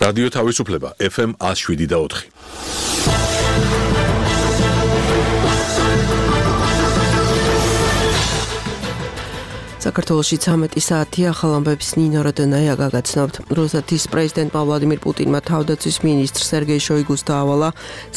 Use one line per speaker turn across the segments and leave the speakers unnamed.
რადიო თავისუფლება FM 107.4.
საქართველოში 13 საათი ახალ ამბებს ნინო როდონაია გაგაცნობთ. რუსეთის პრეზიდენტმა ვლადიმირ პუტინმა თავდაცვის მინისტრ სერგეი შოიგუს დაავალა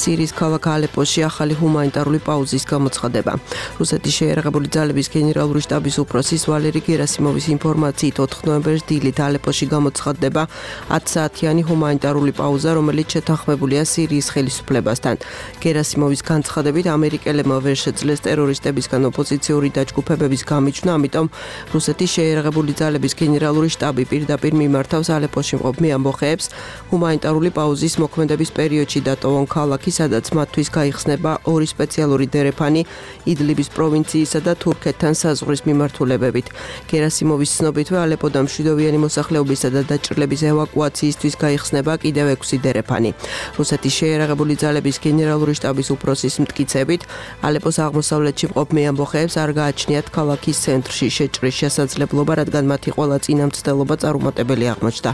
სირიის ქალაქ ალეპოში ახალი ჰუმანიტარული პაუზის გამოცხადება. რუსეთის შეიარაღებული ძალების გენერალური შტაბის უფროსის ვალერი გერასიმოვის ინფორმაციით 4 ნოემბერს დილით ალეპოში გამოცხადდება 10 საათიანი ჰუმანიტარული პაუზა, რომელიც შეთანხმებულია სირიის ხელისუფლებასთან. გერასიმოვის განცხადებით ამერიკელებმა ვერ შეძლეს ტერორისტებისგან ოპოზიციური დაჯგუფებების გამიჩვნა, ამიტომ რუსეთის შეიარაღებული ძალების გენერალური შტაბი პირდაპირ მიმართავს ალეპოში მყოფ ამბოხეებს ჰუმანიტარული პაუზის მოქმედების პერიოდში დატოვონ ქალაქი, სადაც მათთვის გაიხსნება 2 სპეციალური დერეფანი იდლიბის პროვინციისა და თურქეთთან საზღვრის მიმართულებებით. გერასიმოვის ცნობითვე ალეპოდან მშვიდობიანი მოსახლეობისა და დაჭრილების ევაკუაციისთვის გაიხსნება კიდევ 6 დერეფანი. რუსეთის შეიარაღებული ძალების გენერალური შტაბის უფროსის მტკიცებით, ალეპოს აღმოსავლეთში მყოფ ამბოხეებს არ გააჩნიათ ქალაქის ცენტრში შეჭრის შესაძლებლობა, რადგან მათი ყველა წინამცდელობა წარუმატებელი აღმოჩნდა.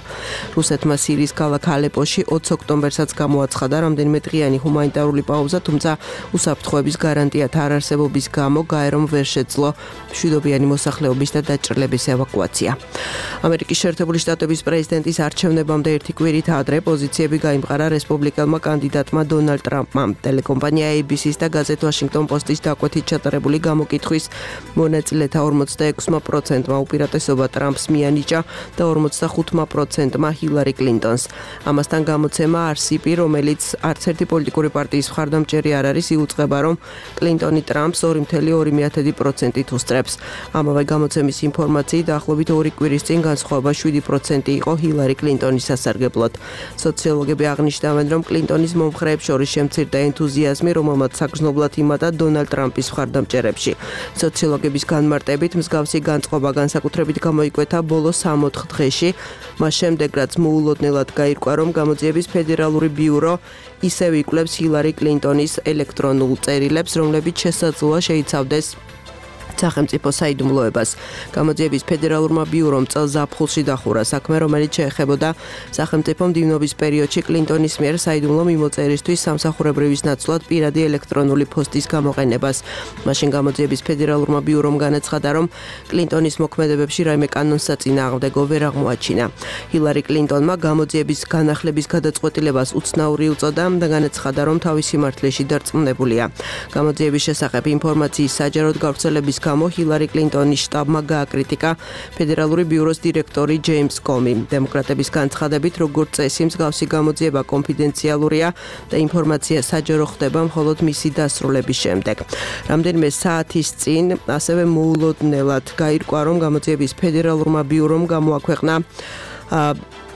რუსეთმა სირიის ქალაქ ალეპოში 20 ოქტომბერსაც გამოაცხადა რამდენიმე დღიანი ჰუმანიტარული პაუზა, თუმცა უსაფრთხოების გარანტიათა არარსებობის გამო გაერომ ვერ შეძლო მშვიდობიანი მოსახლეობის და დაჭრილების ევაკუაცია. ამერიკის შეერთებული შტატების პრეზიდენტის არჩევნებამდე 1 კვირით ადრე პოზიციები გაიმყარა რესპუბლიკელმა კანდიდატმა დონალდ ტრამპმა. ტელეკომპანია ABC-ს და გაზეთ ვაშინგტონ პოსტის დაკვეთით ჩატარებული გამოკითხვის მონაწილეთა 46%-მა უპირატესობა ტრამპს მიანიჭა და 45%-მა ჰილარი კლინტონს. ამასთან გამოცემა RCP, რომელიც არც ერთი პოლიტიკური პარტიის მხარდამჭერი არ არის, იუწყება, რომ კლინტონი ტრამპს 2.2% უსწრებს. ამავე გამოცემის ინფორმაციით, დაახლოებით 2 კვირის წინ განსხვავება 7% იყო ჰილარი კლინტონის სასარგებლოდ. სოციოლოგები აღნიშნავენ, რომ კლინტონის მომხრეებს შორის შემცირდა ენთუზიაზმი, რომელმაც საგრძნობლად იმატა დონალდ ტრამპის მხარდამჭერებში. სოციოლოგების განმარტებით მსგავსი განწყობა განსაკუთრებით გამოიკვეთა ბოლო 3-4 დღეში, მას შემდეგ რაც მოულოდნელად გაირკვა, რომ გამოძიების ფედერალური ბიურო ისევ იკვლევს ჰილარი კლინტონის ელექტრონულ წერილებს, რომლებიც შესაძლოა შეიცავდეს სახელმწიფო საიდუმლოებას. გამოძიების ფედერალურმა ბიურომ წელს ზაფხულში დახურა საქმე, რომელიც შეეხებოდა სახელმწიფო მდივნობის პერიოდში კლინტონის მიერ საიდუმლო მიმოწერისთვის სამსახურებრივის ნაცვლად პირადი ელექტრონული პოსტის გამოყენებას. მაშინ გამოძიების ფედერალურმა ბიურომ განაცხადა, რომ კლინტონის მოქმედებებში რაიმე კანონსაწინააღმდეგო ვერ აღმოაჩინა. ჰილარი კლინტონმა გამოძიების განახლების გადაწყვეტილებას უცნაური უწოდა და განაცხადა, რომ თავის სიმართლეში დარწმუნებულია. გამოძიების შესახებ ინფორმაციის საჯაროდ გავრცელების გამო ჰილარი კლინტონის შტაბმა გააკრიტიკა ფედერალური ბიუროს დირექტორი ჯეიმს კომი. დემოკრატების განცხადებით, როგორც წესი, მსგავსი გამოძიება კონფიდენციალურია და ინფორმაცია საჯარო ხდება მხოლოდ მისი დასრულების შემდეგ. რამდენიმე საათის წინ ასევე მოულოდნელად გაირკვა, რომ გამოძიების ფედერალურმა ბიურომ გამოაქვეყნა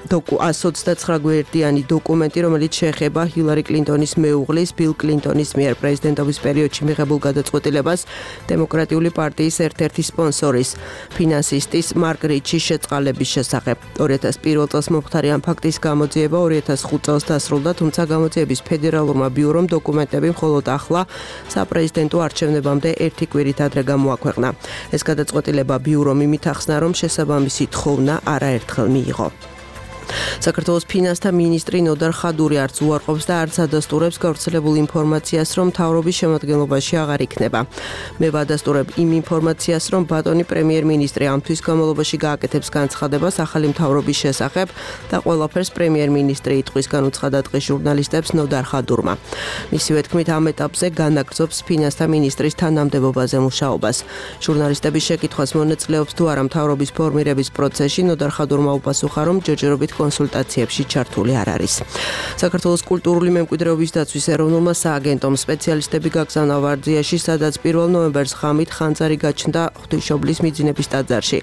129 გვერდიანი დოკუმენტი, რომელიც შეეხება ჰილარი კლინტონის მეუღლის ბილ კლინტონის მიერ პრეზიდენტობის პერიოდში მიღებულ გადაწყვეტილებას დემოკრატიული პარტიის ერთ-ერთი სპონსორის, ფინანსისტის მარკ რიჩის შეწყალების შესახებ. 2001 წელს მომხდარი ამ ფაქტის გამოძიება 2005 წელს დასრულდა, თუმცა გამოძიების ფედერალურმა ბიურომ დოკუმენტები მხოლოდ ახლა საპრეზიდენტო არჩევნებამდე 1 კვირით ადრე გამოაქვეყნა. ეს გადაწყვეტილება ბიურომ იმით ახსნა, რომ შესაბამისი თხოვნა არაერთხელ მიიღო. საქართველოს ფინანსთა მინისტრი ნოდარ ხადური არც უარყოფს და არც ადასტურებს გავრცელებულ ინფორმაციას, რომ მთავრობის შემადგენლობაში აღარ იქნება. მე ვადასტურებ იმ ინფორმაციას, რომ ბატონი პრემიერ-მინისტრი ამ თვის განმავლობაში გააკეთებს განცხადებას ახალი მთავრობის შესახებ და ყველაფერს პრემიერ-მინისტრი იტყვისგან უცხადა დღეს ჟურნალისტებს ნოდარ ხადურმა. მისივე თქმით, ამ ეტაპზე განაგრძობს ფინანსთა მინისტრის თანამდებობაზე მუშაობას. ჟურნალისტების შეკითხვას მონაწილეობს თუ არა მთავრობის ფორმირების პროცესში, ნოდარ ხადურმა უპასუხა, რომ ჯერჯერობით კონსულტაციებში ჩართული არ არის. საქართველოს კულტურული მემკვიდრეობის დაცვის ეროვნულმა სააგენტომ სპეციალისტები გაგზავნა ვარძიაში, სადაც 1 ნოემბერს ღამით ხანძარი გაჩნდა ღვთისმშობლის მიძინების ტაძარში.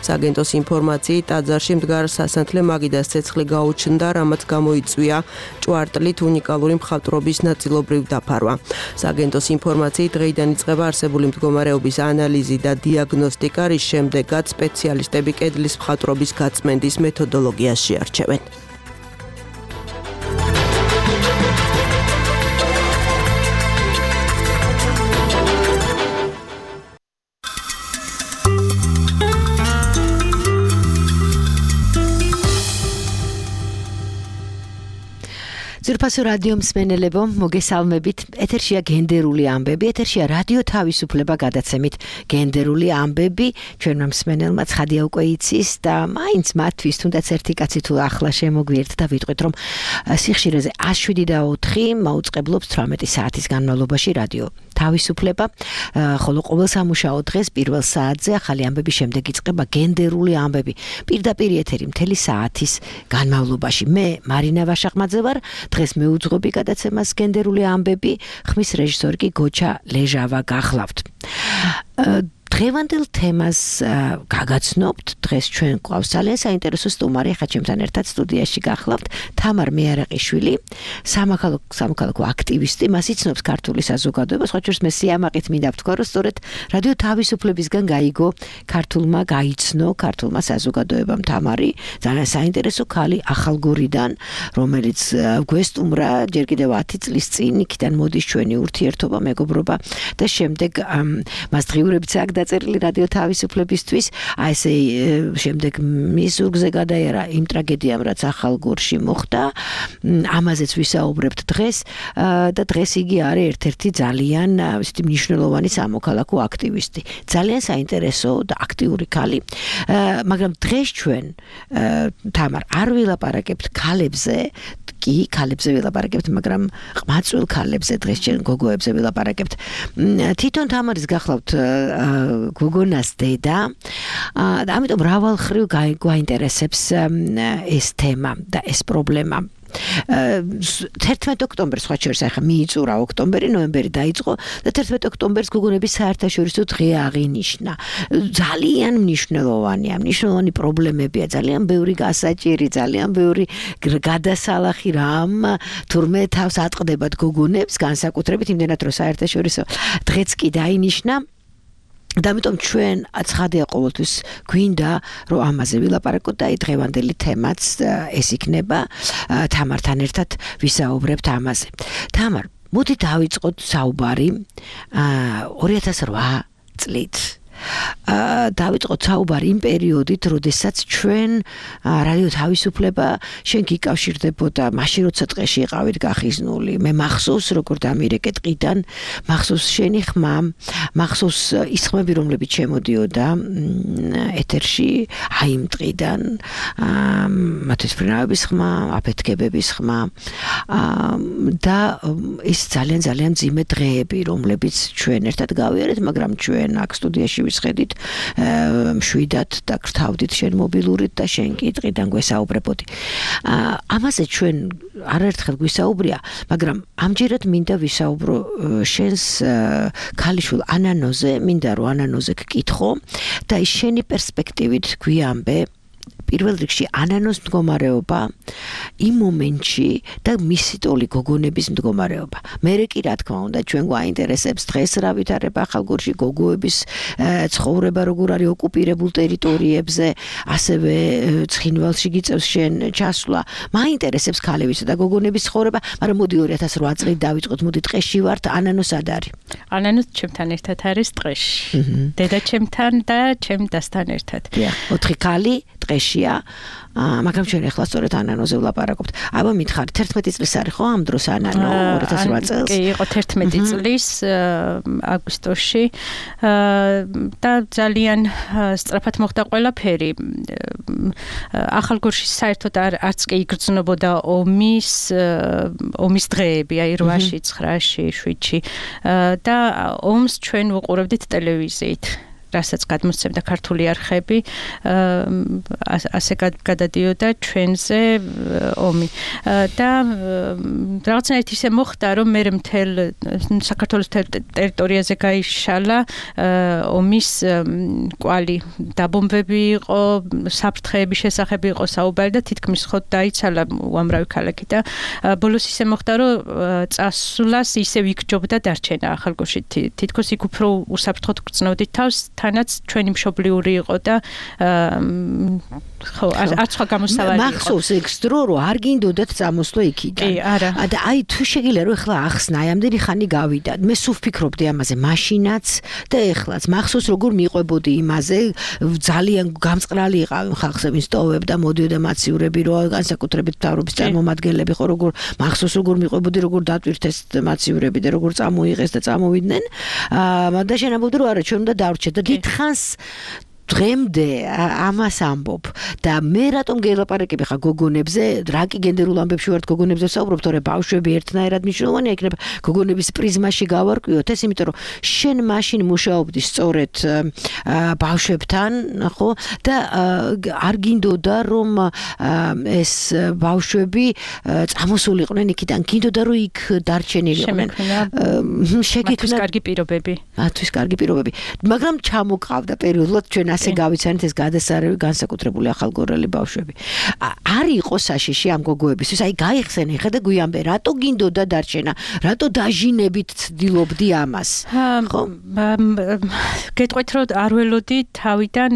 სააგენტოს ინფორმაციით, ტაძარში მდგარ სასანთლე მაგიდას ცეცხლი გაუჩნდა, რამაც გამოიწვია ჭვარტლით უნიკალური მხატვრობის ნაწილობრივ დაფარვა. სააგენტოს ინფორმაციით, დღეიდან იწყება არსებული მდგომარეობის ანალიზი და დიაგნოსტიკა, რის შემდეგაც სპეციალისტები კედლის მხატვრობის გაწმენდის მეთოდოლოგიას შეარჩევენ.
ძვირფასო რადიო მსმენელებო, მოგესალმებით. ეთერშია გენდერული ამბები, ეთერშია რადიო თავისუფლება გადაცემით გენდერული ამბები. ჩვენმა მსმენელმა ცხადია უკვე იცის და მაინც მათთვის თუნდაც ერთი კაცი თუ ახლა შემოგვიერთ და ვიტყვით რომ სიხშირეზე 107.4 მაუწყებლობს 18 საათის განმავლობაში რადიო თავისუფლება, ხოლო ყოველ სამუშაო დღეს პირველ საათზე ახალი ამბების შემდეგ იწყება გენდერული ამბები. პირდაპირ ეთერი მთელი საათის განმავლობაში. მე მარინა ვაშახმაძე ვარ. დღეს მეუძღობი გადაცემას გენდერული ამბები, ხმის რეჟისორი კი გოჩა ლეჟავა გახლავთ. დღევანდელ თემას გაგაცნობთ. დღეს ჩვენ გვყავს ძალიან საინტერესო სტუმარი, ხა ჩემთან ერთად სტუდიაში გახლავთ თამარ მეარაყიშვილი, სამოქალაქო აქტივისტი, მას იცნობს ქართული საზოგადოება, სხვა შორის მე სიამაყით მინდა ვთქვა, რომ სწორედ რადიო თავისუფლებისგან გაიგო გაიცნო ქართულმა საზოგადოებამ თამარი, ძალიან საინტერესო ქალი ახალგორიდან, რომელიც გვესტუმრა ჯერ კიდევ 10 წლის წინ, იქიდან მოდის ჩვენი ურთიერთობა, მეგობრობა და შემდეგ მას დღიურებიც აქვს დაწერილი რადიო თავისუფლებისთვის, ესე შემდეგ მის ზურგზე გადაიარა იმ ტრაგედიამ, რაც ახალგორში მოხდა. ამაზეც ვისაუბრებთ დღეს და დღეს იგი არის ერთ-ერთი ძალიან მნიშვნელოვანი სამოქალაქო აქტივისტი. ძალიან საინტერესო და აქტიური ქალი. მაგრამ დღეს ჩვენ თამარ არ ვილაპარაკებთ ქალებზე, კი ქალებზე ვილაპარაკებთ, მაგრამ ყმაწვილ ქალებზე დღეს ჩვენ გოგოებზე ვილაპარაკებთ. თვითონ თამარის გახლავთ გოგონას დედა და ამიტომ მრავალხრივ გაინტერესებს ეს თემა და ეს პრობლემა. 11 ოქტომბერს სხვა შორის ახლა მიიწურა ოქტომბერი, ნოემბერი დაიწყო და 11 ოქტომბერს გოგონების საერთაშორისო დღე აღინიშნა. ძალიან მნიშვნელოვანია, მნიშვნელოვანი პრობლემებია, ძალიან ბევრი გასაჭირი, ძალიან ბევრი გადასალახი რამ თურმე თავს ატყდებათ გოგონებს, განსაკუთრებით იმდენად რომ საერთაშორისო დღეც კი დაინიშნა. და ამიტომ ჩვენ ცხადია ყოველთვის გვინდა რომ ამაზე ვილაპარაკოთ და დღევანდელი თემაც ეს იქნება. თამართან ერთად ვისაუბრებთ ამაზე. თამარ, მოდი დავიწყოთ საუბარი 2008 წლით. დავიწყოთ საუბარი იმ პერიოდით, როდესაც ჩვენ რადიო თავისუფლება შენ გიკავშირდებოდა, მაშინ როცა ტყეში იყავით გახიზნული. მე მახსოვს როგორ დამირეკე ტყიდან, მახსოვს შენი ხმა, მახსოვს ის ხმები, რომლებიც შემოდიოდა ეთერში აი იმ ტყიდან, მათესფრინავების ხმა, აფეთქებების ხმა და ის ძალიან მძიმე დღეები, რომლებიც ჩვენ ერთად გავიარეთ, მაგრამ ჩვენ აქ სტუდიაში ვისხედით მშვიდად და გრთავდით შენ მობილურით და შენ კი ტყიდან გვესაუბრებოდი. ამაზე ჩვენ არაერთხელ გვისაუბრია, მაგრამ ამჯერად მინდა ვისაუბრო შენს ქალიშვილ ანანოზე, მინდა რომ ანანოზე გკითხო და ის შენი პერსპექტივით გვიამბე პირველ რიგში ანანოს მდგომარეობა იმ მომენტში და მისი ტოლი გოგონების მდგომარეობა. მერე კი რა თქმა უნდა ჩვენ გვაინტერესებს დღეს რა ვითარება ახალგორში, გოგოების ცხოვრება როგორ არის ოკუპირებულ ტერიტორიებზე, ასევე ცხინვალში გიწევს შენ ჩასვლა. მაინტერესებს ქალების და გოგონების ცხოვრება, მაგრამ მოდი 2008 წლით დავიწყოთ, მოდი ტყეში ვართ, ანანო სად არის?
ანანო ჩემთან ერთად არის ტყეში. დედა ჩემთან და ჩემ დასთან ერთად.
4 ქალი ტყეშია, მაგრამ ჩვენ ახლა სწორედ ანანოზე ვლაპარაკობთ. აბა მითხარი, 11 წლის არის ხო ამ დროს ანანო 2008 წელს?
კი, იყო 11 წლის აგვისტოში და ძალიან სწრაფად მოხდა ყველაფერი. ახალგორში საერთოდ არც კი იგრძნობოდა ომის დღეები, აი 8-ში, 9-ში, 7-ში და ომს ჩვენ ვუყურებდით ტელევიზიით. რასაც გადმოსცემდა ქართული არხები, ასე გადადიოდა ჩვენზე ომი. და რაღაცნაირად ისე მოხდა, რომ მე მთელ საქართველოს ტერიტორიაზე გაიშალა ომის კვალი. დაბომბები იყო, საფრთხეების შესახებ იყო საუბარი და თითქმის ხო დაიცალა უამრავი ქალაქი და ბოლოს ისე მოხდა, რომ წასვლას ისე ვიქჯობდა დარჩენა ახალგორში. თითქოს იქ უფრო უსაფრთხოდ გრძნოდით თავს თანაც ჩვენი მშობლიური იყო და ხო არ სხვა გამოსავალი იყო.
მახსოვს ეს დრო რომ არ გინდოდათ წამოსვლა იქიდან.
კი, არა.
და აი თუ შეგიძლია რომ ეხლა ახსნა, აი ამდენი ხანი გავიდა. მე სულ ვფიქრობდი ამაზე, მაშინაც და ეხლაც. მახსოვს როგორ მიყვებოდი იმაზე, ძალიან გამწყრალი იყავი ხალხს ვინც ტოვებდა, მოდიოდა მაცივრები, რომ განსაკუთრებით მთავრობის წარმომადგენლები ხო როგორ მახსოვს როგორ მიყვებოდი, როგორ დატვირთეს მაცივრები და როგორ წამოიღეს და წამოვიდნენ. და შენაბობდი რომ არა, ჩვენ უნდა დავრჩეთ და დიდხანს დღემდე ამას ამბობ და მე რატომ გელაპარაკები ხა გოგონებზე, რა კი გენდერულ ამბებში ვართ გოგონებზე ვსაუბრობ, თორე ბავშვები ერთნაირად მნიშვნელოვანია, იქნება გოგონების პრიზმაში გავარკვიოთ ეს, იმიტომ რომ შენ მაშინ მუშაობდი სწორედ ბავშვებთან, ხო? და არ გინდოდა რომ ეს ბავშვები წამოსულიყვნენ იქიდან, გინდოდა რომ იქ დარჩენილიყვნენ.
შეგექმნა კარგი პირობები.
მათთვის კარგი პირობები. მაგრამ ჩამოყავდა პერიოდულად ჩვენ ასე გავიცანით ეს გადასარევი განსაკუთრებული ახალგორელი ბავშვები. არ იყო საშიში ამ გოგოებისთვის, აი გაიხსენე ხა და გვიანბე, რატო გინდოდა დარჩენა, რატო დაჟინებით ცდილობდი ამას. ხო?
გეტყვით რომ არ ველოდი თავიდან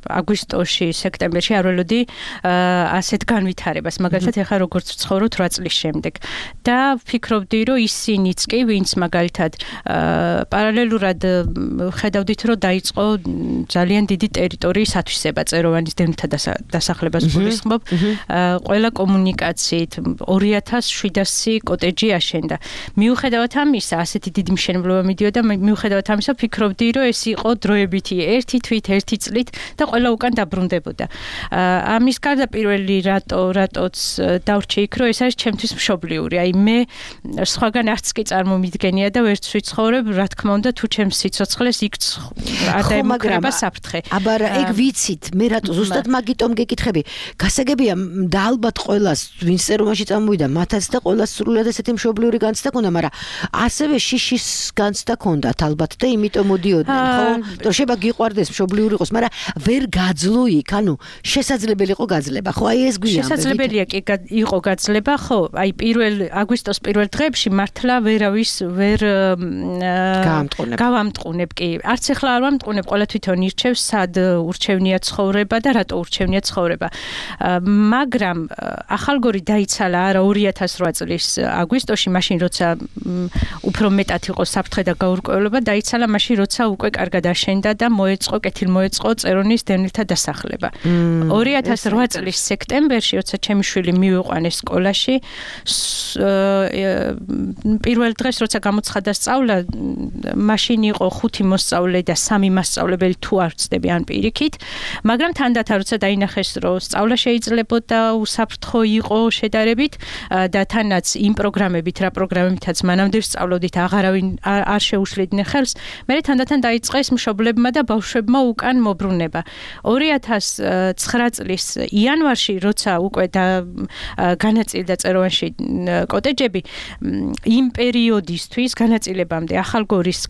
აგვისტოში, სექტემბერში არ ველოდი ასეთ განვითარებას, მაგალითად ეხლა როგორც ვცხოვრობ 8 წლის შემდეგ და ვფიქრობდი რომ ისინიც კი ვინც მაგალითად პარალელურად ხედავდით რომ დაიწყო ძალიან დიდი ტერიტორიის ათვისება წეროვანის დევნილთა დასახლებას გულისხმობ. ყველა კომუნიკაციით 2700 კოტეჯი აშენდა. მიუხედავად ამისა, ასეთი დიდი მშენებლობა მიდიოდა, მიუხედავად ამისა, ვფიქრობდი, რომ ეს იყო დროებითი ერთი თვით, ერთი წლით და ყველა უკან დაბრუნდებოდა. ამის გარდა პირველი რატოც დავრჩე იქ, რომ ეს არის ჩემთვის მშობლიური. აი მე სხვაგან არც კი წარმომიდგენია და ვერც ვიცხოვრებ, რა თქმა უნდა, თუ ჩემს სიცოცხლეს იქ არ დაემუქრება საფრთხე.
აბა ეგ ვიცით, მე რატო ზუსტად მაგიტომ გეკითხები. გასაგებია და ალბათ ყველას ვინც წერომაში წამოვიდა, მათაც და ყველას სრულად ესეთი მშობლიური განცდა ქონდა, მაგრამ ასევე შიშის განცდა ქონდათ ალბათ და იმიტომ მოდიოდნენ, ხო? თუ შეიძლება გიყვარდეს მშობლიური იყოს, მაგრამ ვერ გაძლო იქ, ანუ შესაძლებელი იყო გაძლება, ხო? აი ეს გვიან.
შესაძლებელია კი იყო გაძლება, ხო? აი აგვისტოს პირველ დღეებში მართლა ვერავის ვერ გავამტყუნებ კი. არც ახლა არ ვამტყუნებ, ყველა თვითონ ირჩევს, სად ურჩევნია ცხოვრება და რატო ურჩევნია ცხოვრება. მაგრამ ახალგორი დაიცალა არა 2008 წლის აგვისტოში, მაშინ როცა უფრო მეტად იყო საფრთხე და გაურკვევლობა, დაიცალა მაშინ როცა უკვე კარგად აშენდა და კეთილმოეწყო წერონის დევნილთა დასახლება. 2008 წლის სექტემბერში, როცა ჩემი შვილი მივიყვანეს სკოლაში, პირველ დღეს როცა გამოცხადა სწავლა, მაშინ იყო 5 მოსწავლე და 3 მასწავლებელი თუ არ ვწდები ან პირიქით, მაგრამ თანდათან როცა დაინახეს, რომ სწავლა შეიძლებოდა უსაფრთხო იყო შედარებით და თანაც იმ პროგრამებით, რა პროგრამებითაც მანამდე ვსწავლოდით, აღარავინ არ შეუშლიდნენ ხელს, მე თანდათან დაიწყეს მშობლებმა და ბავშვებმა უკან მობრუნება. 2009 წლის იანვარში, როცა უკვე განაწილდა წეროვანში კოტეჯები, იმ პერიოდისთვის განაწილებამდე ახალგორის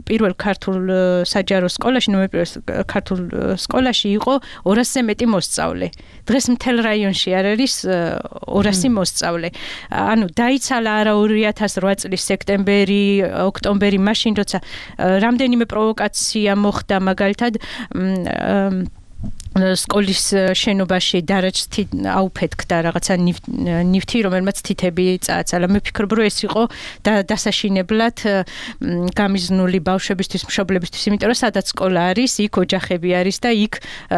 პირველ ქართულ საჯარო სკოლაში, ნოემბრის ქართულ სკოლაში იყო 200-ზე მეტი მოსწავლე. დღეს მთელ რაიონში არ არის 200 მოსწავლე. ანუ დაიცალა არა 2008 წლის სექტემბერი, ოქტომბერი, მაშინ როცა რამდენიმე პროვოკაცია მოხდა, მაგალითად სკოლის შენობაში დარაჯს აუფეთქდა რაღაცა ნივთი, რომელმაც თითები წააცალა. მე ვფიქრობ, რომ ეს იყო დასაშინებლად გამიზნული ბავშვებისთვის, მშობლებისთვის, იმიტომ რომ სადაც სკოლა არის, იქ ოჯახები არის და იქ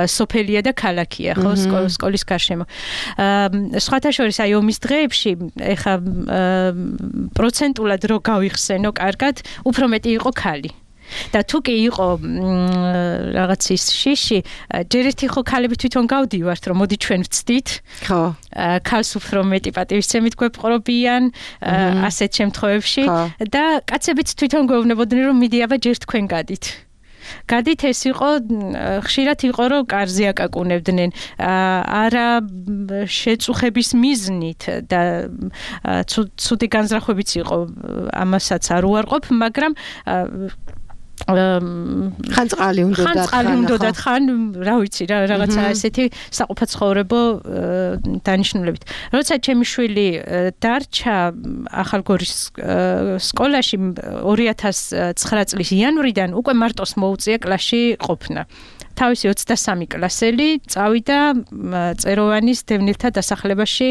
სოფელია და ქალაქია, ხო, სკოლის გარშემო. სხვათა შორის აი ომის დღეებში, ეხა პროცენტულად რო გავიხსენო კარგად, უფრო მეტი იყო ქალი. და თუ კი იყო რაღაცის შიში, ჯერ ერთი ხო ქალები თვითონ გავდივართ, რომ მოდი ჩვენ ვწდით. ხო. ქალს უფრო მეტი პატივისცემით გვეპყრობიან ასეთ შემთხვევებში და კაცებიც თვითონ გვეუბნებოდნენ, რომ მიდი აბა ჯერ თქვენ გადით. გადით ეს იყო, ხშირად იყო, რომ კარზე აკაკუნებდნენ, არა შეწუხების მიზნით და ცუდი განზრახვებიც იყო, ამასაც არ უარყოფ, მაგრამ
ხან წყალი უნდა
ხან რა ვიცი რაღაცა ესეთი საყოფაცხოვრებო დანიშნულებით. როცა ჩემი შვილი დარჩა ახალგორის სკოლაში 2009 წლის იანვრიდან უკვე მარტოს მოუწია კლასში ყოფნა. თავისი 23 კლასელი წავიდა წეროვანის დევნილთა დასახლებაში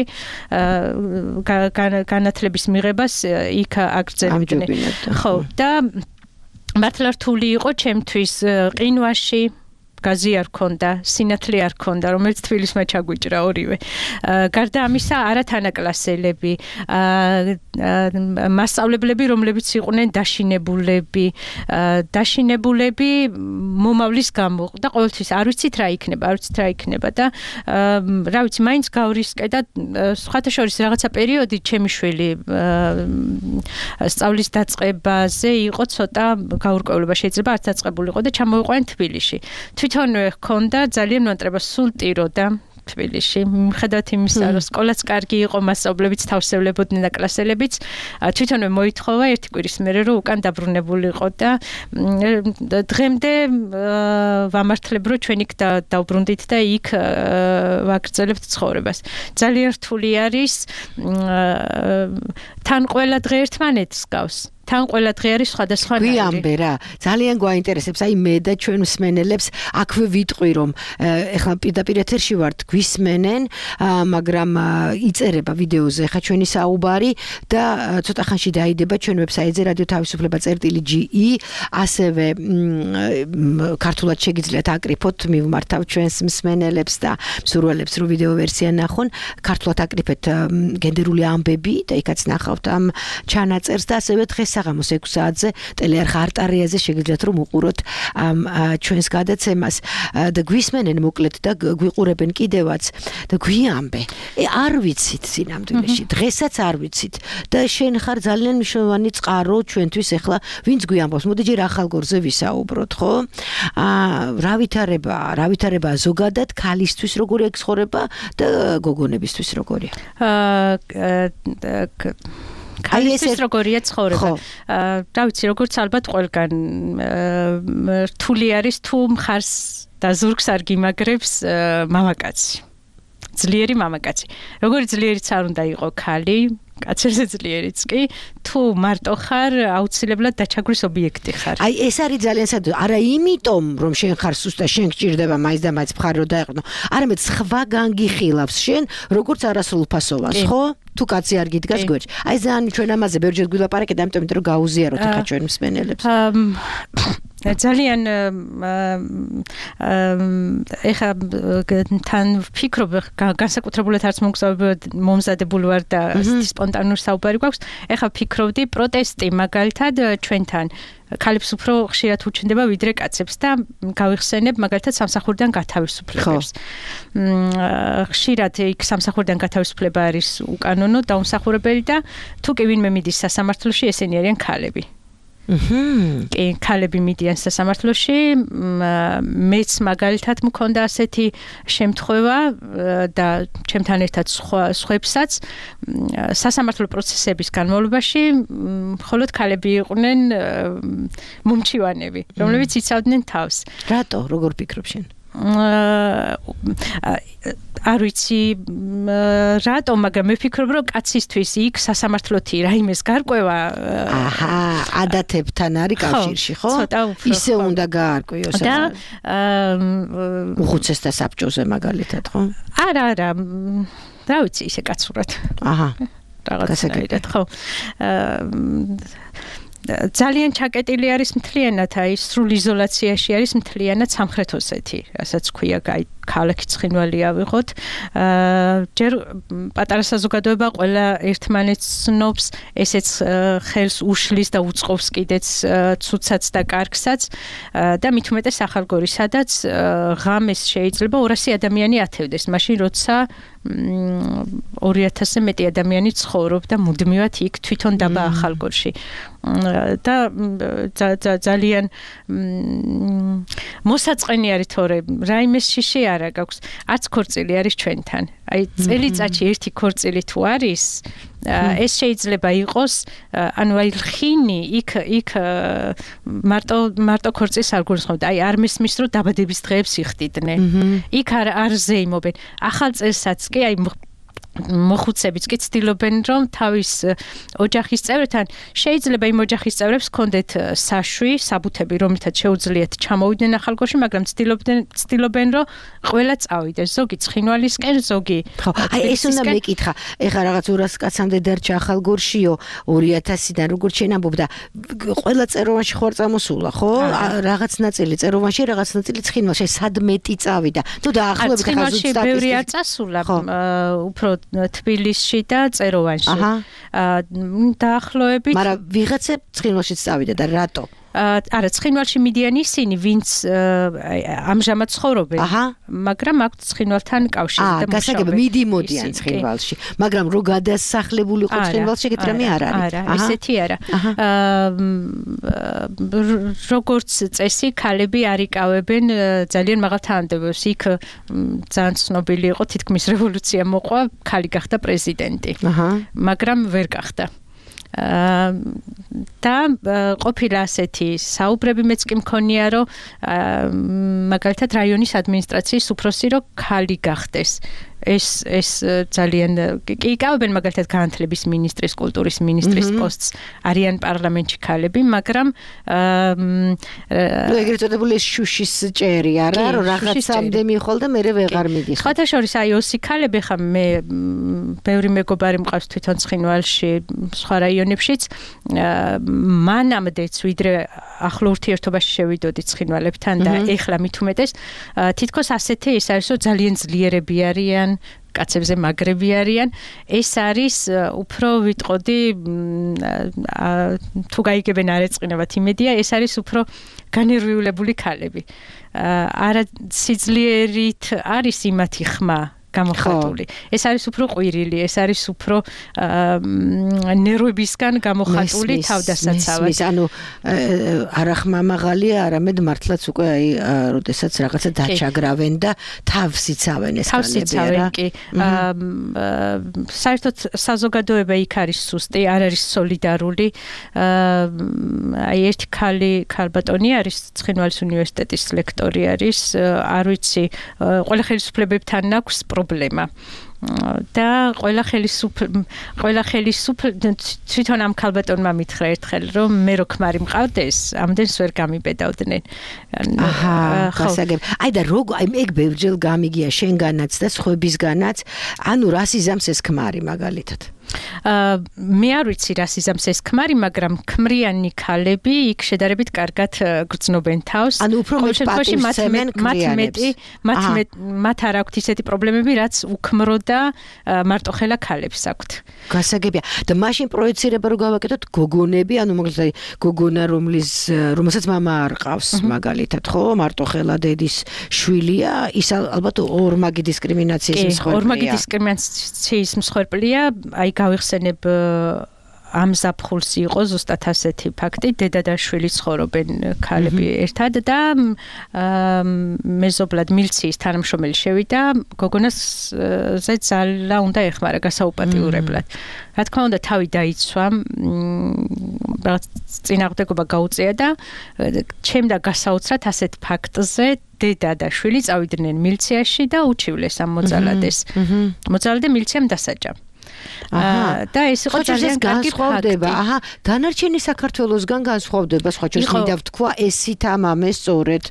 განათლების მიღებას იქ აგრძელებდნენ. ხო, და მართლა რთული იყო ჩემთვის ყინვაში გაზი არ ქონდა, სინათლე არ ქონდა, რომელიც თბილისმა ჩაგვიჭრა ორივე. გარდა ამისა, არათანაკლასელები, მასწავლებლები, რომლებიც იყვნენ დაშინებულები მომავლის გამო და ყოველთვის არ ვიცით რა იქნება და რა ვიცი, მაინც გავრისკე და სხვათა შორის რაღაცა პერიოდი ჩემი შვილი სწავლის დაწყებაზე იყო ცოტა გაურკვევლობა, შეიძლება არც დაწყებულიყო და ჩამოვიყვნენ თბილისში. თვითონვე ჰქონდა ძალიან მონატრება სულ ტიროდა თბილისში. მიუხედავად იმისა, რომ სკოლაც კარგი იყო, მასწავლებლებიც თავსებლებოდნენ და კლასელებიც, თვითონვე მოითხოვა ერთი კვირის მერე, რომ უკან დაბრუნებულიყო და დღემდე ვამართლებ, რომ ჩვენ იქ დავბრუნდით და იქ ვაგრძელებთ ცხოვრებას. ძალიან რთული არის თან ყველა დღე ერთმანეთს გავს. თან ყველა დღე არის სხვადასხვანაირი.
გვიამბე რა, ძალიან გვაინტერესებს, აი მე და ჩვენ მსმენელებს აქვე ვიტყვი, რომ ეხლა პირდაპირ ეთერში ვართ, გვისმენენ, მაგრამ იწერება ვიდეოზე ხა ჩვენი საუბარი და ცოტა ხანში დაიდება ჩვენ ვებსაიტზე radio-თავისუფლება.ge, ასევე ქართულად შეგიძლიათ აკრიფოთ, მივმართავ ჩვენს მსმენელებს და მსურველებს, რომ ვიდეო ვერსია ნახონ, ქართულად აკრიფეთ გენდერული ამბები და იქაც ნახავთ ამ ჩანაწერს და ასევე დღეს საღამოს 6 საათზე ტელეარხ არტარიაზე შეგიძლიათ რომ უყუროთ ამ ჩვენს გადაცემას და გვისმენენ მოკლედ და გვიყურებენ კიდევაც და გვიამბე. არ ვიცით სინამდვილეში, დღესაც არ ვიცით და შენ ხარ ძალიან მნიშვნელოვანი წყარო ჩვენთვის ახლა ვინც გვიამბობს. მოდი ჯერ ახალგორზე ვისაუბროთ, ხო? რა ვითარება ზოგადად ქალისთვის როგორი ექსხორება და გოგონებისთვის როგორია?
ქალისთვის როგორია ცხოვრება. რა ვიცი, როგორც ალბათ ყველგან რთული არის თუ მხარს და ზურგს არ გიმაგრებს მამაკაცი. ძლიერი მამაკაცი. როგორი ძლიერიც არ უნდა იყო ქალი, კაცერზე ძლიერიც კი, თუ მარტო ხარ, აუცილებლად დაჩაგვის ობიექტი ხარ.
აი ეს არის ძალიან საერთო. არა იმიტომ, რომ შენ ხარ სუსტა, შენ გჭირდება მაინც და მაინც მხარი რომ დაეყრდნო. არამედ სხვა განგიხილავს შენ, როგორც არასრულფასოვანს, ხო? თუ კაცი არ გიდგას გვერდში. აი ძალიან ჩვენ ამაზე ბევრჯერ გვილაპარაკეთ, ამიტომ რომ გაუზიაროთ ახლა ჩვენ მსმენელებს. ძალიან ეხა თან ვფიქრობ, განსაკუთრებულად არც მომზადებული ვარ და სპონტანური საუბარი გვაქვს. ეხა ვფიქრობდი პროტესტი მაგალითად ჩვენთან ქალებს უფრო ხშირად უჩნდება ვიდრე კაცებს და გავიხსენებ მაგალითად სამსახურიდან გათავისუფლებას. ხშირად იქ სამსახურიდან გათავისუფლება არის უკანონო, დაუმსახურებელი და თუ კი ვინმე მიდის სასამართლოში, ესენი არიან ქალები. კი, ქალები მიდიან სასამართლოში, მეც მაგალითად მქონდა ასეთი შემთხვევა და ჩემთან ერთად სხვებსაც სასამართლო პროცესების განმავლობაში მხოლოდ ქალები იყვნენ მომჩივანები, რომლებიც იცავდნენ თავს. რატო, როგორ ფიქრობ შენ?
არ ვიცი რატო, მაგრამ მე ვფიქრობ, რომ კაცისთვის იქ სასამართლოთი რაიმეს გარკვევა
ადათებთან არის კავშირში, ხო? ისე უნდა გაარკვიოს
და
უხუცესთა საბჭოზე მაგალითად, ხო?
არა, რა ვიცი, ისე კაცურად. რაღაცნაირად, ხო. ძალიან ჩაკეტილი არის მთლიანად, აი სრულ იზოლაციაში არის მთლიანად სამხრეთ ოსეთი, რასაც ქვია ქალაქი ცხინვალი ავიღოთ. ჯერ პატარა საზოგადოება ყველა ერთმანეთს ცნობს, ესეც ხელს უშლის და უწყობს კიდეც ცუცაც და კარგსაც და მით უმეტეს ახალგორი, სადაც ღამეს შეიძლება 200 ადამიანი ათევდეს, მაშინ როცა 2000-ზე მეტი ადამიანი ცხოვრობდა მუდმივად იქ თვითონ დაბა ახალგორში. და ძალიან მოსაწყენი არის თორე რაიმეს შიში არა გაქვს. არც ქორწილი არის ჩვენთან. აი წელიწადში ერთი ქორწილი თუ არის, ეს შეიძლება იყოს, ანუ აი ხინი იქ მარტო ქორწილს არ გულისხმობთ. აი არ მისმის რომ დაბადების დღეებს იხდიდნენ. იქ არ ზეიმობენ. ახალ წელსაც კი აი მოხუცებიც კი ცდილობენ რომ თავის ოჯახის წევრთან შეიძლება იმ ოჯახის წევრებს ჰქონდეთ საშვი, საბუთები, რომლითაც შეუძლიათ ჩამოვიდნენ ახალგორში, მაგრამ ცდილობენ რომ ყველა წავიდეს, ზოგი ცხინვალისკენ, ზოგი.
ხო, აი ეს უნდა მეკითხა. ეხლა რაღაც 200 კაცამდე დარჩა ახალგორშიო 2000-დან როგორც შენ ამბობდა, ყველა წეროვანში ხوار წამოსულა, ხო? რაღაც ნაწილი წეროვანში, რაღაც ნაწილი ცხინვალში, სადმეტი წავიდა. თუ დაახლოებით ხა
ცხინვალში ბევრი არ წასულა, უფრო თბილისში და წეროვანში. დაახლოებით.
მაგრამ ვიღაცა ცხინვალშიც წავიდა და რატო?
არა, ცხინვალში მიდიან ისინი, ვინც ამჟამად ცხოვრობენ, მაგრამ აქვთ ცხინვალთან კავშირი და მუშაობენ.
გასაგებია, მიდიმოდიან ცხინვალში, მაგრამ რო გადასახლებულიყო ცხინვალში, ეგეთ რამე არ არის.
არა, ესეთი არა. როგორც წესი, ქალები არ იკავებენ ძალიან მაღალ თანამდებობებს. იქ ძალიან ცნობილი იყო, თითქმის რევოლუცია მოყვა, ქალი გახდა პრეზიდენტი. მაგრამ ვერ გახდა. და ყოფილა ასეთი საუბრები მეც კი მქონია რომ მაგალითად რაიონის ადმინისტრაციის უფროსი რომ ქალი გახდეს ეს ძალიან კი იკავებენ მაგალითად განათლების მინისტრის, კულტურის მინისტრის პოსტს არიან პარლამენტში ქალები, მაგრამ
ეგრეთ წოდებული შუშის ჭერი არა რომ რაღაცამდე მიხვალ და მე ვეღარ მიდიხარ.
სხვათა შორის აი ოსი ქალები ხა მე ბევრი მეგობარი მყავს თვითონ ცხინვალში, სხვა რაიონებშიც მანამდეც ვიდრე ახლო ურთიერთობაში შევიდოდი ცხინვალებთან და ეხლა მით უმეტეს თითქოს ასეთი ის არის რომ ძალიან ძლიერები არიან კაცებზე მაგრები არიან ეს არის უფრო ვიტყოდი თუ გაიგებენ არ ეწყინებათ იმედია ეს არის უფრო განერვიულებული ქალები არა სიძლიერით არის იმათი ხმა გამოხატული. ეს არის უფრო ყვირილი, ეს არის უფრო ნერვებისგან გამოხატული თავდასაცავად.
ანუ არა ხმა მაღალია, არამედ მართლაც უკვე აი როდესაც რაღაცა დაჩაგრავენ და თავს იცავენ ეს
ქალები რა. კი. საერთოდ საზოგადოება იქ არის სუსტი, არ არის სოლიდარული. აი ერთი ქალბატონი არის ცხინვალის უნივერსიტეტის ლექტორი არის, არ ვიცი, ყველა ხელისუფლებებთან აქვს პრობლემა და ყველა ხელისუფლება თვითონ ამ ქალბატონმა მითხრა ერთხელ რომ მე რო ქმარი მყავდეს ამდენს ვერ გამიბედავდნენ.
გასაგებ. აი და როგორ აი ეგ ბევრჯერ გამიგია შენგანაც და სხვებისგანაც, ანუ რას იზამს ეს ქმარი მაგალითად?
მე არ ვიცი რას იზამს ეს ქმარი, მაგრამ ქმრიანი ქალები იქ შედარებით კარგად გრძნობენ თავს.
ანუ უფრო
მათ არ აქვთ ისეთი პრობლემები, რაც უქმრო და მარტოხელა ქალებს აქვთ.
გასაგებია. და მაშინ პროექცირება რო გავაკეთოთ გოგონები, ანუ მაგალითად გოგონა რომელსაც მამა არ ყავს მაგალითად, ხო, მარტოხელა დედის შვილია, ის ალბათ ორმაგი დისკრიმინაციის მსხვერპლია.
ორმაგი დისკრიმინაციის მსხვერპლია, აი გავიხსენებ ამ ზაფხულს იყო ზუსტად ასეთი ფაქტი, დედა და შვილი ცხოვრობენ ქალები ერთად და მეზობლად მილიციის თანამშრომელი შევიდა გოგონას ზე ძალა უნდა ეხმარა გასაუპატიურებლად. რა თქმა უნდა თავი დაიცვა, რაღაც წინააღმდეგობა გაუწია და ჩემდა გასაოცრად ასეთ ფაქტზე დედა და შვილი წავიდნენ მილიციაში და უჩივლეს ამ მოძალადეს. მოძალადე მილიციამ დასაჯა. და ეს იყო ძალიან კარგი
განსხვავდება. დანარჩენი საქართველოსგან განსხვავდება, სხვა ჩვენს მინდა ვთქვა, ესით ამამე სწორედ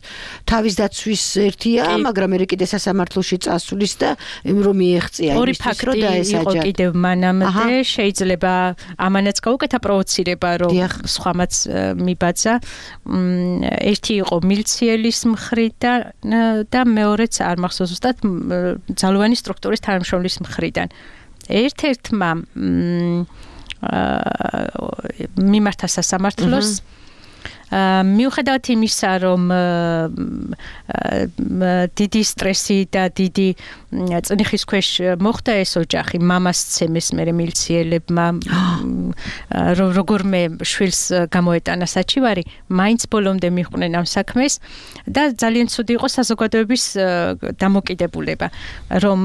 თავის დაცვის ერთია, მაგრამ მე კიდე სასამართლოში წასulis და რომ მიეღწია
იმისთვის, რომ დაესაჯა. იყო კიდევ მანამდე, შეიძლება ამანაც გაუკეთა პროვოცირება, რომ სხვამაც მიბაძა. ერთი იყო მილიცielis მხრიდან და მეორეც არ მახსოვს ზუსტად ძალოვანი სტრუქტურის თანამშრომლის მხრიდან. ერთ-ერთმა მიმართა სასამართლოს მიუხედავად იმისა, რომ დიდი სტრესი და დიდი წნიხის ქვეშ მოხდა ეს ოჯახი, მამას ცემეს მერე მილიციელებმა, როგორმე შვილს გამოეტანა საჩივარი, მაინც ბოლომდე მიჰყვნენ ამ საქმეს და ძალიან ცუდი იყო საზოგადოების დამოკიდებულება, რომ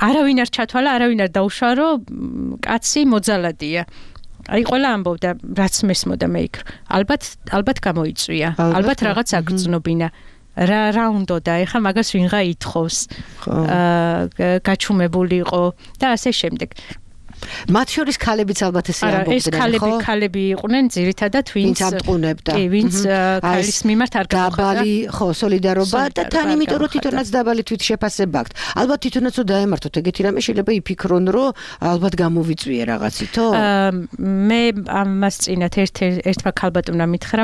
არავინ არ ჩათვალა, არავინ არ დაუშვა, რომ კაცი მოძალადია. აი ყველა ამბობდა, რაც მესმოდა მე იქ. ალბათ გამოიწვია. ალბათ რაღაც აგრძნობინა. რა უნდოდა, ეხლა მაგას ვინღა ითხოვს. გაჩუმებული იყო და ასე შემდეგ.
მათ შორის ქალებიც ალბათ ესე ამბობდნენ, ხო?
ეს ქალები იყვნენ ძირითადად ვინც
ამტყუნებდა.
ვინც ქალის მიმართ არ გამოხდა.
დაბალი, ხო, სოლიდარობა და თან იმიტომ რომ თვითონაც დაბალი თვითშეფასება აქვს. ალბათ თვითონაც რომ დაემართოთ ეგეთი რამე შეიძლება იფიქრონ, რომ ალბათ გამოვიწვიე რაღაცითო.
მე ამას წინათ ერთმა ქალბატონმა მითხრა,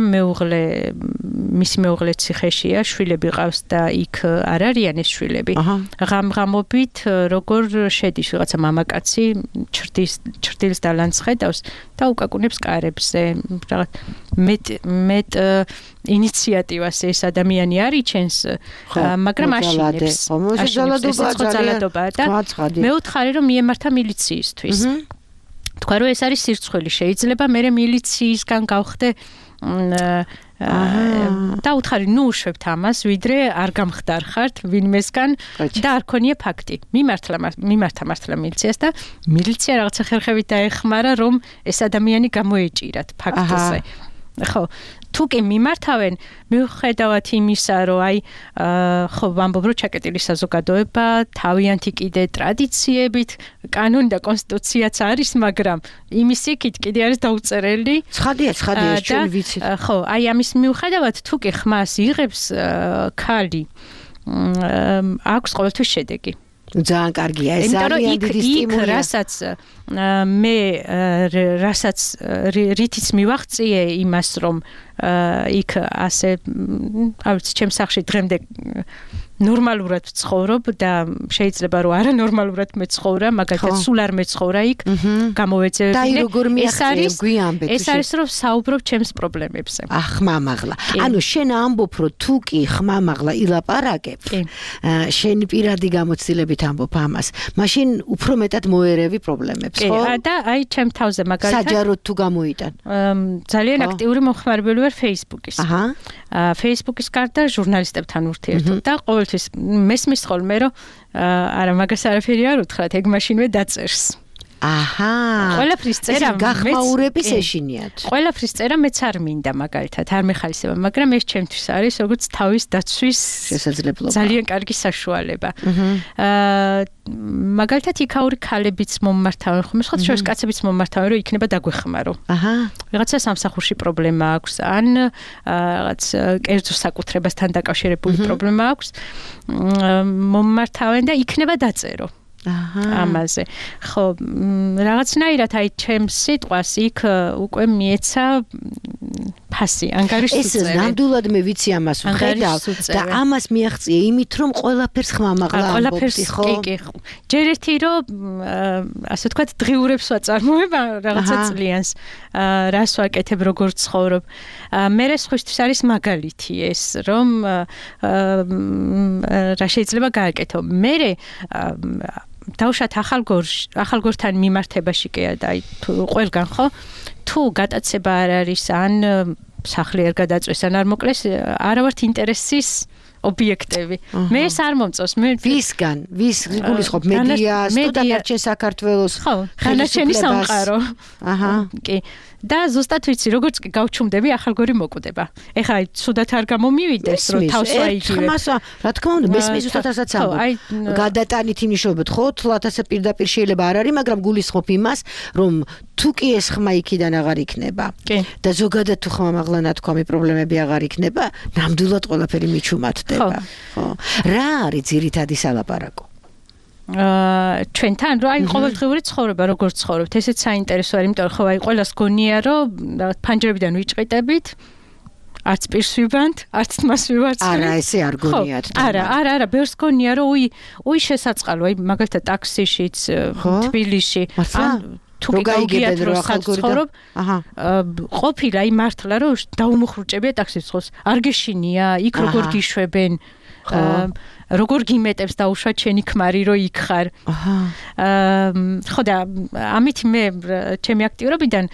მისი მეუღლე ციხეშია, შვილები ყავს და იქ არ არიან ეს შვილები. ღამღამობით როგორ შედის ვიღაცა მამაკაცი ჩრდილს დალანცხედავს და უკაკუნებს კარებზე. რაღაც მეტ ინიციატივას ეს ადამიანი არ იჩენს, მაგრამ აშინებს. ზალადობაა და მეუთხარი რომ მიემართა მილიციისთვის. თქვა რომ ეს არის სირცხვილი, შეიძლება მე მილიციისგან გავხდე და უთხარი ნუ უშვებთ ამას, ვიდრე არ გამხდარხართ ვინმესგან და არ ქონია ფაქტი. მიმართა მართლა მილიციას და მილიცია რაღაცა ხერხებით დაეხმარა, რომ ეს ადამიანი გამოეჭირათ ფაქტზე. ხო, თუკი მიმართავენ, მიუხედავად იმისა, რომ აი ხო ვამბობ, რომ ჩაკეტილი საზოგადოება, თავიანთი კიდე ტრადიციებით, კანონი და კონსტიტუციაც არის, მაგრამ იმის იქით კიდე არის დაუწერელი.
ცხადია, ჩვენ ვიცით.
ხო, აი ამის მიუხედავად, თუკი ხმას იღებს ქალი, აქვს ყოველთვის შედეგი.
ძალიან კარგია, ეს ძალიან დიდი სტიმულია.
რასაც რითიც მივაღწიე იმას, რომ იქ ასე, არ ვიცი, ჩემს სახლში დღემდე ნორმალურად ვცხოვრობ და შეიძლება რომ არანორმალურად მეცხოვრა, მაგალითად სულ არ მეცხოვრა იქ, გამოვეძებინე. ეს არის რომ საუბრობ ჩემს პრობლემებზე.
ხმამაღლა. ანუ შენ ამბობ, რომ თუ კი ხმამაღლა ილაპარაკებ, შენ პირადი გამოცდილებით ამბობ ამას, მაშინ უფრო მეტად მოერევი პრობლემებს, ხო?
და აი ჩემ თავზე მაგალითად
საჯაროდ თუ გამოიტან.
ძალიან აქტიური მომხმარებელი ვარ Facebook-ის. Facebook-ის გარდა ჟურნალისტებთან ურთიერთობ და ყოველთვის მესმის ხოლმე რომ არა მაგას არაფერი არ უთხრათ, ეგ მაშინვე დაწერს. ყველაფრის წერა
გახმაურების ეშინიათ.
ყველაფრის წერა მეც არ მინდა მაგალითად, არ მეხალისება, მაგრამ ეს ჩემთვის არის როგორც თავის დაცვის
შესაძლებლობა.
ძალიან კარგი საშუალება. მაგალითად იქაური ქალებიც მომმართავენ, ხომ სხვა შორის კაცებიც მომმართავენ, რომ იქნება დაგვეხმარო. რაღაცა სამსახურში პრობლემა აქვს, ან რაღაც კერძო საკუთრებასთან დაკავშირებული პრობლემა აქვს, მომმართავენ და იქნება დაწერო. ამაზე. ხო, რაღაცნაირად აი ჩემს სიტყვას იქ უკვე მიეცა ფასი, ანგარიშს უწევი.
ეს ნამდვილად მე ვიცი ამას ვხედავ და ამას მიაღწია იმით, რომ ყველაფერს ხმამაღლა ამბობდი, ხო?
კი. ჯერ ერთი რომ ასე ვთქვათ, დღიურებს ვაწარმოებ რაღაცა წლიანს, რას ვაკეთებ, როგორ ცხოვრობ. მე სხვისთვის არის მაგალითი ეს, რომ რა შეიძლება გააკეთო. მე დავშათ ახალგორთან მიმართებაში კი და აი ყველგან ხო თუ გატაცება არ არის ან სახლი არ გადაწვეს ან არ მოკლეს არა ვართ ინტერესის ობიექტები. მე ეს არ მომწონს.
ვისგან? ვის გულისხმობ? მედიას, თუ დანარჩენ საქართველოს?
ხო, დანარჩენი სამყარო. კი. და ზუსტად ვიცი, როგორც კი გავჩუმდები, ახალგორი მოკვდება. ეხლა აი ცუდად არ გამომივიდეს, რომ თავს ვაიგივებ.
რა თქმა უნდა, მესმის ზუსტად ასაც ამბობ. გადატანით იმნიშნებოდ, ხო, 100000 პირდაპირ შეიძლება არ არის, მაგრამ გულისხმობ იმას, რომ თუ კი ეს ხმა იქიდან აღარ იქნება და ზოგადად თუ ხმამაღლა ნათქვამი პრობლემები აღარ იქნება, ნამდვილად ყველაფერი მიჩუმადდება. ხო. რა არის ძირითადი სალაპარაკო?
ჩვენთან, რომ აი ყოველდღიური ცხოვრება როგორ ცხოვრობთ, ესეც საინტერესო არის, იმიტომ რომ ხო აი ყველას გონია, რომ ფანჯრებიდან ვიჭყიტებით, არც პირს ვიბანთ, არც თმას ვივარცხნით.
არა, ესე არ გონიათ.
არა, ბევრს გონია, რომ უი შესაწყალო, აი მაგალითად ტაქსიშიც, თბილისში, თუ კი გაიგიათ რომ საცხოვრობ ყოფილა იმართლა რომ დაუმოხრუჭებია ტაქსის არ გეშინია იქ როგორ გიშვებენ როგორ გიმეტებს დაუშვათ შენი ქმარი რომ იქ ხარ ხო და ამით მე ჩემი აქტიურობიდან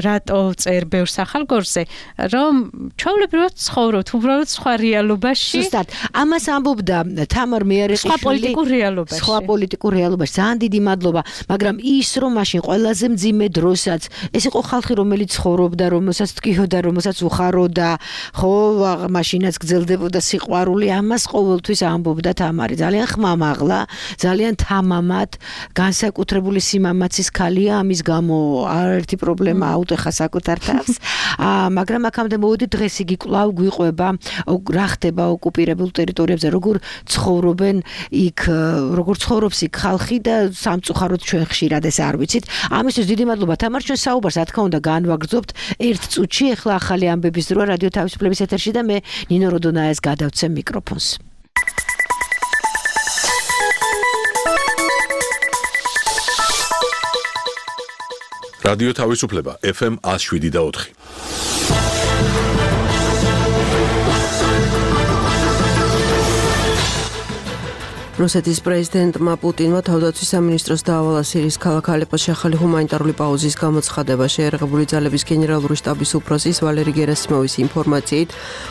რატო წერ ბევრ სახალგორზე რომ ჩვეულებრივად ცხოვრობთ უბრალოდ სხვა რეალობაში
ზუსტად ამას ამბობდა თამარ მეარეყიშვილი სხვა პოლიტიკურ რეალობაში ძალიან დიდი მადლობა მაგრამ ის რომ მაშინ ყველაზე მძიმე დროსაც ეს იყო ხალხი რომელიც ცხოვრობდა რომელსაც თქიოდა რომელსაც უხაროდა ხო მაშინაც გრძელდებოდა სიყვარული ამას ყოველთვის ამბობდა თამარი ძალიან ხმამაღლა ძალიან თამამად განსაკუთრებული სიმამაცის ქალია ამის გამო არაერთი პრობლემა აუტეხა საკუთარ თავს მაგრამ აქამდე მოვედი დღეს იგი კვლავ გვიყვება რა ხდება ოკუპირებულ ტერიტორიებზე როგორ ცხოვრობენ იქ როგორ ცხოვრობს იქ ხალხი და სამწუხაროდ ჩვენ ხშირად ეს არ ვიცით ამისთვის დიდი მადლობა თამარ ჩვენ საუბარს რა თქმა უნდა განვაგრძობთ ერთ წუთში ახლა ახალი ამბების დროა რადიო თავისუფლების ეთერში და მე ნინო როდონაიას გადავცემ მიკროფონს
რადიო თავისუფლება FM 107.4
რუსეთის პრეზიდენტმა პუტინმა თავდაცვის სამინისტროს დაავალა სირიის ქალაქ ალეპოში ახალი ჰუმანიტარული პაუზის გამოცხადება. შეერაღებული ძალების გენერალური შტაბის უფროსის ვალერი გერასიმოვის ინფორმაციით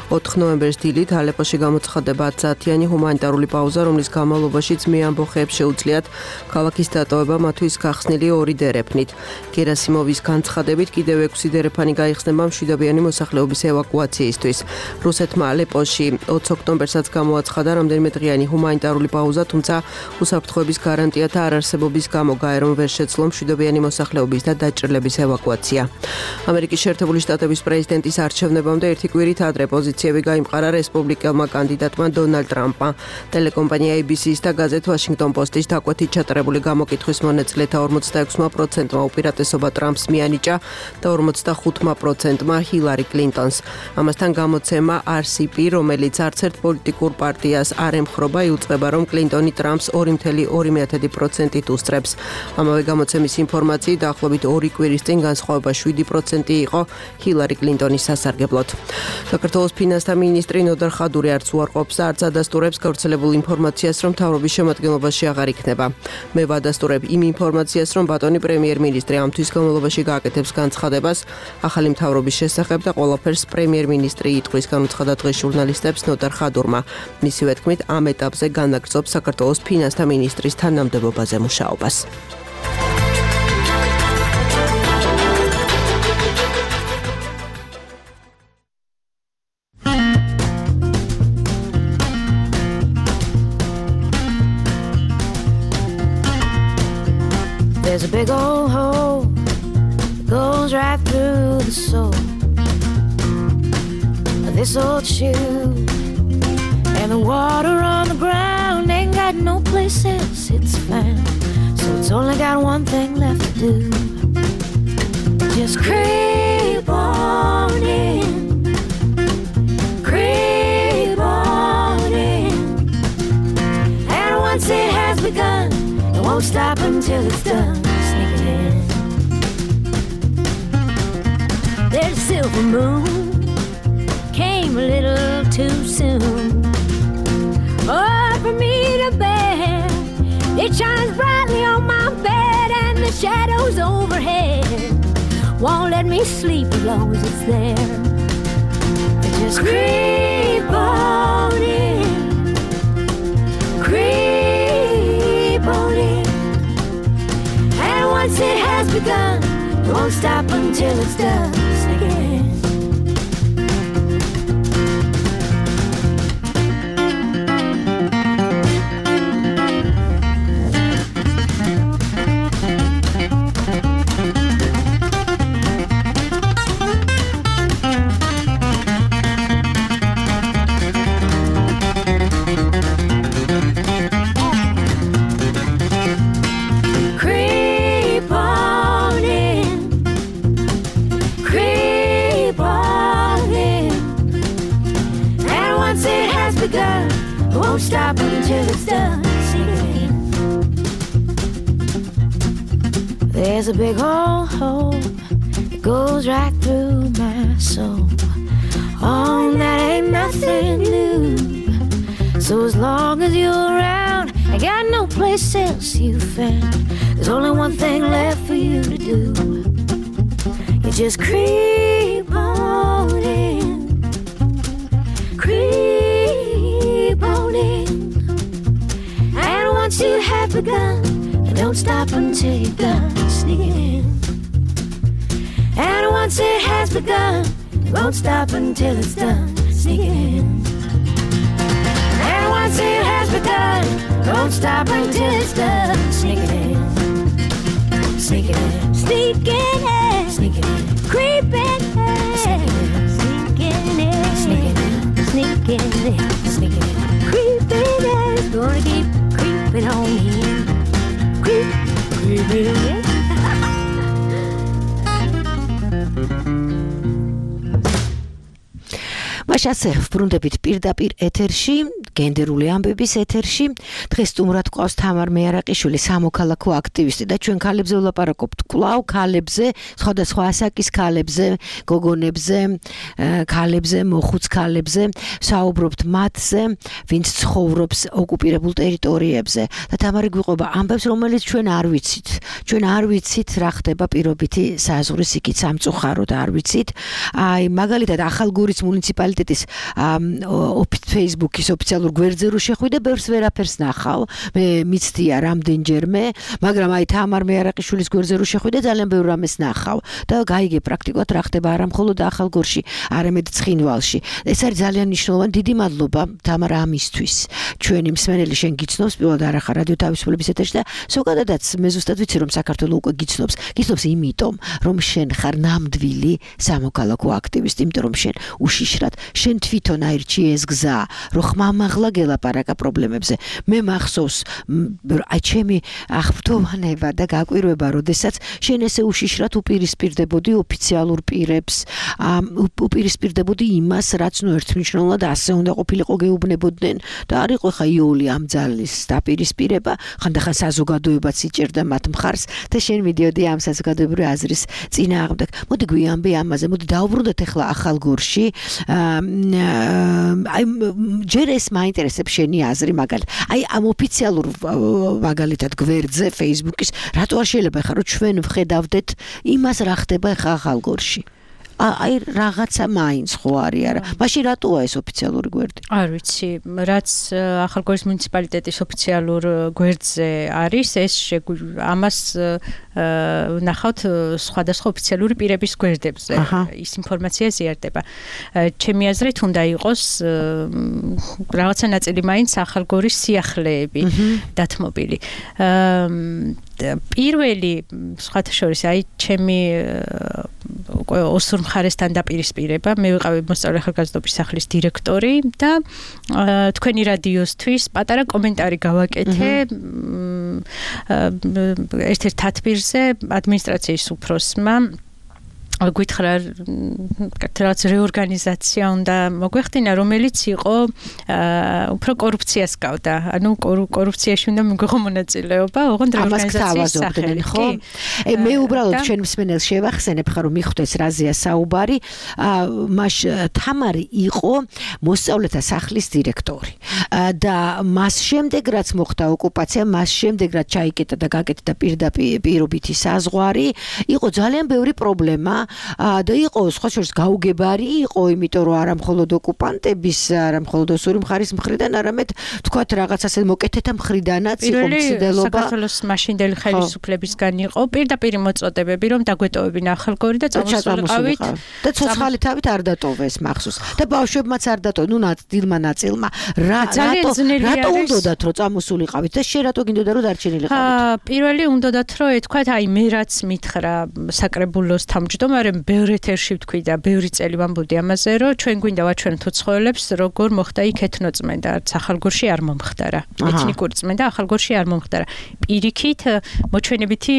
4 ნოემბერს დილით ალეპოში გამოცხადება 10 საათიანი ჰუმანიტარული პაუზა, რომლის განმავლობაშიც მეამბოხეებს შეუძლიათ ქალაქის დატოვება მათთვის გახსნილი 2 დერეფნით. გერასიმოვის განცხადებით კიდევ 6 დერეფანი გაიხსნება მშვიდობიანი მოსახლეობის ევაკუაციისთვის. რუსეთმა ალეპოში 20 ოქტომბერსაც გამოაცხადა რამდენიმე დღიანი ჰუმანიტარული პაუზა თუმცა უსაფრთხოების გარანტიათა არარსებობის გამო გაერომ ვერ შეძლო მშვიდობიანი მოსახლეობის და დაჭრილების ევაკუაცია. ამერიკის შეერთებული შტატების პრეზიდენტის არჩევნებამდე ერთი კვირით ადრე პოზიციები გაიმყარა რესპუბლიკელმა კანდიდატმა დონალდ ტრამპმა. ტელეკომპანია ABC-ის და გაზეთ Washington Post-ის დაკვეთით ჩატარებული გამოკითხვის მონაწილეთა 46%-მა უპირატესობა ტრამპს მიანიჭა და 45%-მა ჰილარი კლინტონს. ამასთან გამოცემა RCP, რომელიც არც ერთ პოლიტიკურ პარტიას არ ემხრობა, იუწყება რომ კლინტონი ტრამპს 2.2% უსწრებს. ამავე გამოცემის ინფორმაციით დაახლოებით 2 კვირის წინ განსხვავება 7% იყო ჰილარი კლინტონის სასარგებლოდ. საქართველოს ფინანსთა მინისტრი ნოდარ ხადური არც უარყოფს და არც ადასტურებს გავრცელებულ ინფორმაციას, რომ მთავრობის შემადგენლობაში აღარ იქნება. მე ვადასტურებ იმ ინფორმაციას, რომ ბატონი პრემიერ-მინისტრი ამ თვის განმავლობაში გააკეთებს განცხადებას ახალი მთავრობის შესახებ და ყველაფერს პრემიერ-მინისტრი იტყვის, განუცხადა დღეს ჟურნალისტებს ნოდარ ხადურმა. მისივე თქმით, ამ ეტაპზე განაგრძობს საქართველოს ფინანსთა მინისტრის თანამდებობაზე მუშაობას.
There's a big old hole that goes right through the soul of this old shoe, and the water on the ground ain't got no place else it's found, so it's only got one thing left to do. Just creep on in, creep on in, and once it has begun, it won't stop until it's done. Sneaking in. There's a silver moon, came a little too soon. Oh, for me to bear, it shines brightly on my bed, and the shadows overhead won't let me sleep as long as it's there. Just creep on in, creep on in, and once it has begun, it won't stop until it's done. Sneak it in. Won't stop until it's done. Sing it in. There's a big old hole that goes right through my soul. Oh, that ain't nothing new. So as long as you're around, I got no place else you found. There's only one thing left for you to do. You just creep on in, creep on in. And once you have begun, don't stop until you're done sneaking in. And once it has begun, won't stop until it's done sneaking in. And once it has begun, won't stop until it's done sneaking in. Sneaking in, sneaking in, sneaking in, creeping in, sneaking in, sneaking in, sneaking in, sneaking in, creeping in. Gonna keep creeping on in, creeping in.
მაშასე ვბრუნდებით პირდაპირ ეთერში, გენდერული ამბების ეთერში. დღეს სტუმრად გვყავს თამარ მეარაყიშვილი, სამოქალაქო აქტივისტი და ჩვენ ქალებზე ვლაპარაკობთ. კვლავ ქალებზე, სხვადასხვა ასაკის ქალებზე, გოგონებზე, ქალებზე, მოხუც ქალებზე, საუბრობთ მათზე, ვინც ცხოვრობს ოკუპირებულ ტერიტორიებზე. და თამარი გვიყვება ამბებს, რომელიც ჩვენ არ ვიცით. ჩვენ არ ვიცით რა ხდება პირობითი საზღვრის იქით სამწუხაროდ არ ვიცით. აი, მაგალითად, ახალგორის მუნიციპალიტეტი Facebook-ის ოფიციალურ გვერდზე რო შეხვიდე, ბევრს ვერაფერს ნახავ. მე მიცდია რამდენჯერმე, მაგრამ აი თამარ მეარაყიშვილის გვერდზე რო შეხვიდე, ძალიან ბევრ რამეს ნახავ და გაიგე პრაქტიკულად რა ხდება არა მხოლოდ ახალგორში, არამედ ცხინვალში. ეს არის ძალიან მნიშვნელოვანი. დიდი მადლობა თამარ ამისთვის. ჩვენი მსმენელი შენ გიცნობს, პირველად არ ახარ რადიო თავისუფლების ეთერში და ზოგადადაც მე ზუსტად ვიცი რომ საქართველოს უკვე გიცნობს. გიცნობს იმიტომ, რომ შენ ხარ ნამდვილი სამოქალაქო აქტივისტი, იმიტომ რომ შენ უშიშრად შენ თვითონ აირჩი ეს გზა, რომ ხმამაღლა გელაპარაკა პრობლემებზე. მე მახსოვს აი ჩემი აღფრთოვანება და გაკვირვება, როდესაც შენ ესე უშიშრად უპირისპირდებოდი ოფიციალურ პირებს, უპირისპირდებოდი იმას, რაც ნუ ერთმნიშვნელოვნად ასე უნდა ყოფილიყო გეუბნებოდნენ და არ იყო ხა იოლი ამ ძალის დაპირისპირება, ხანდახან საზოგადოებაც იჭერდა მათ მხარს და შენ მიდიოდი ამ საზოგადოებრივი აზრის წინააღმდეგ. მოდი გვიამბე ამაზე, მოდი დავუბრუნდეთ ახლა ახალგორში. აი ჯერ ეს მაინტერესებს შენი აზრი მაგალითად. აი ამ ოფიციალურ მაგალითად გვერდზე Facebook-ის რატო არ შეიძლება ხა რომ ჩვენ ვხედავდეთ იმას რა ხდება ხა ახალგორში. აი რაღაცა მაინც ხო არის არა. მაშინ რატოა ეს ოფიციალური გვერდი?
არ ვიცი, რაც ახალგორის მუნიციპალიტეტის ოფიციალურ გვერდზე არის, ეს ამას ნახავთ სხვადასხვა ოფიციალური პირების გვერდებზე. ის ინფორმაცია ზიარდება. ჩემი აზრით უნდა იყოს რაღაცა ნაწილი მაინც ახალგორის სიახლეები დათმობილი. პირველი სხვათა შორის აი ჩემი ოსურ მხარესთან დაპირისპირება, მე ვიყავი მოსწავლე ახალგაზრდობის სახლის დირექტორი და თქვენი რადიოსთვის პატარა კომენტარი გავაკეთე ერთ-ერთ თათბირზე ადმინისტრაციის უფროსმა. გითხრა რაღაც რეორგანიზაცია უნდა მოგვეხდინა, რომელიც იყო უფრო კორუფციას გავდა. ანუ კორუფციაში უნდა მიგვიღო მონაწილეობა, ოღონდ რეორგანიზაციის სახელით, ხო?
მე უბრალოდ ჩვენ მსმენელს შევახსენებ ხარ რომ მიხვდეს რაზეა საუბარი. მაშ თამარი იყო მოსწავლეთა სახლის დირექტორი. და მას შემდეგ რაც მოხდა ოკუპაცია, მას შემდეგ რაც ჩაიკეტა და გაკეთდა პირობითი საზღვარი, იყო ძალიან ბევრი პრობლემა. და იყო სხვა შორის გაუგებარი იყო, იმიტომ რომ არა მხოლოდ ოკუპანტების, არა მხოლოდ ოსური მხარის მხრიდან, არამედ თქვათ რაღაც ასე მოკეთეთა მხრიდანაც იყო მცდელობა.
საქართველოს მაშინდელი ხელისუფლებისგან იყო პირდაპირ მოწოდებები, რომ დაგვეტოვებინა ახალგორი და წამოსულიყავით.
და ცოცხალი თავით არ დატოვეს მახსოვს. და ბავშვებმაც არ დატოვეს, ნუ დილმა ნაწილმა. რატო უნდათ რომ წამოსულიყავით და შენ რატო გინდოდა რომ დარჩენილიყავით?
პირველი უნდათ რომ ეთქვათ, აი მე რაც მითხრა საკრებულოს თავმჯდომარე მare ბევრი ეთერში ვთქვი და ბევრი წელი ვამბობდი ამაზე, რომ ჩვენ გვინდა ვაჩვენოთ უცხოელებს, როგორ მოხდა იქ ეთნოწმენდა, არც ახალგორში არ მომხდარა. ეთნიკური წმენდა ახალგორში არ მომხდარა. პირიქით მოჩვენებითი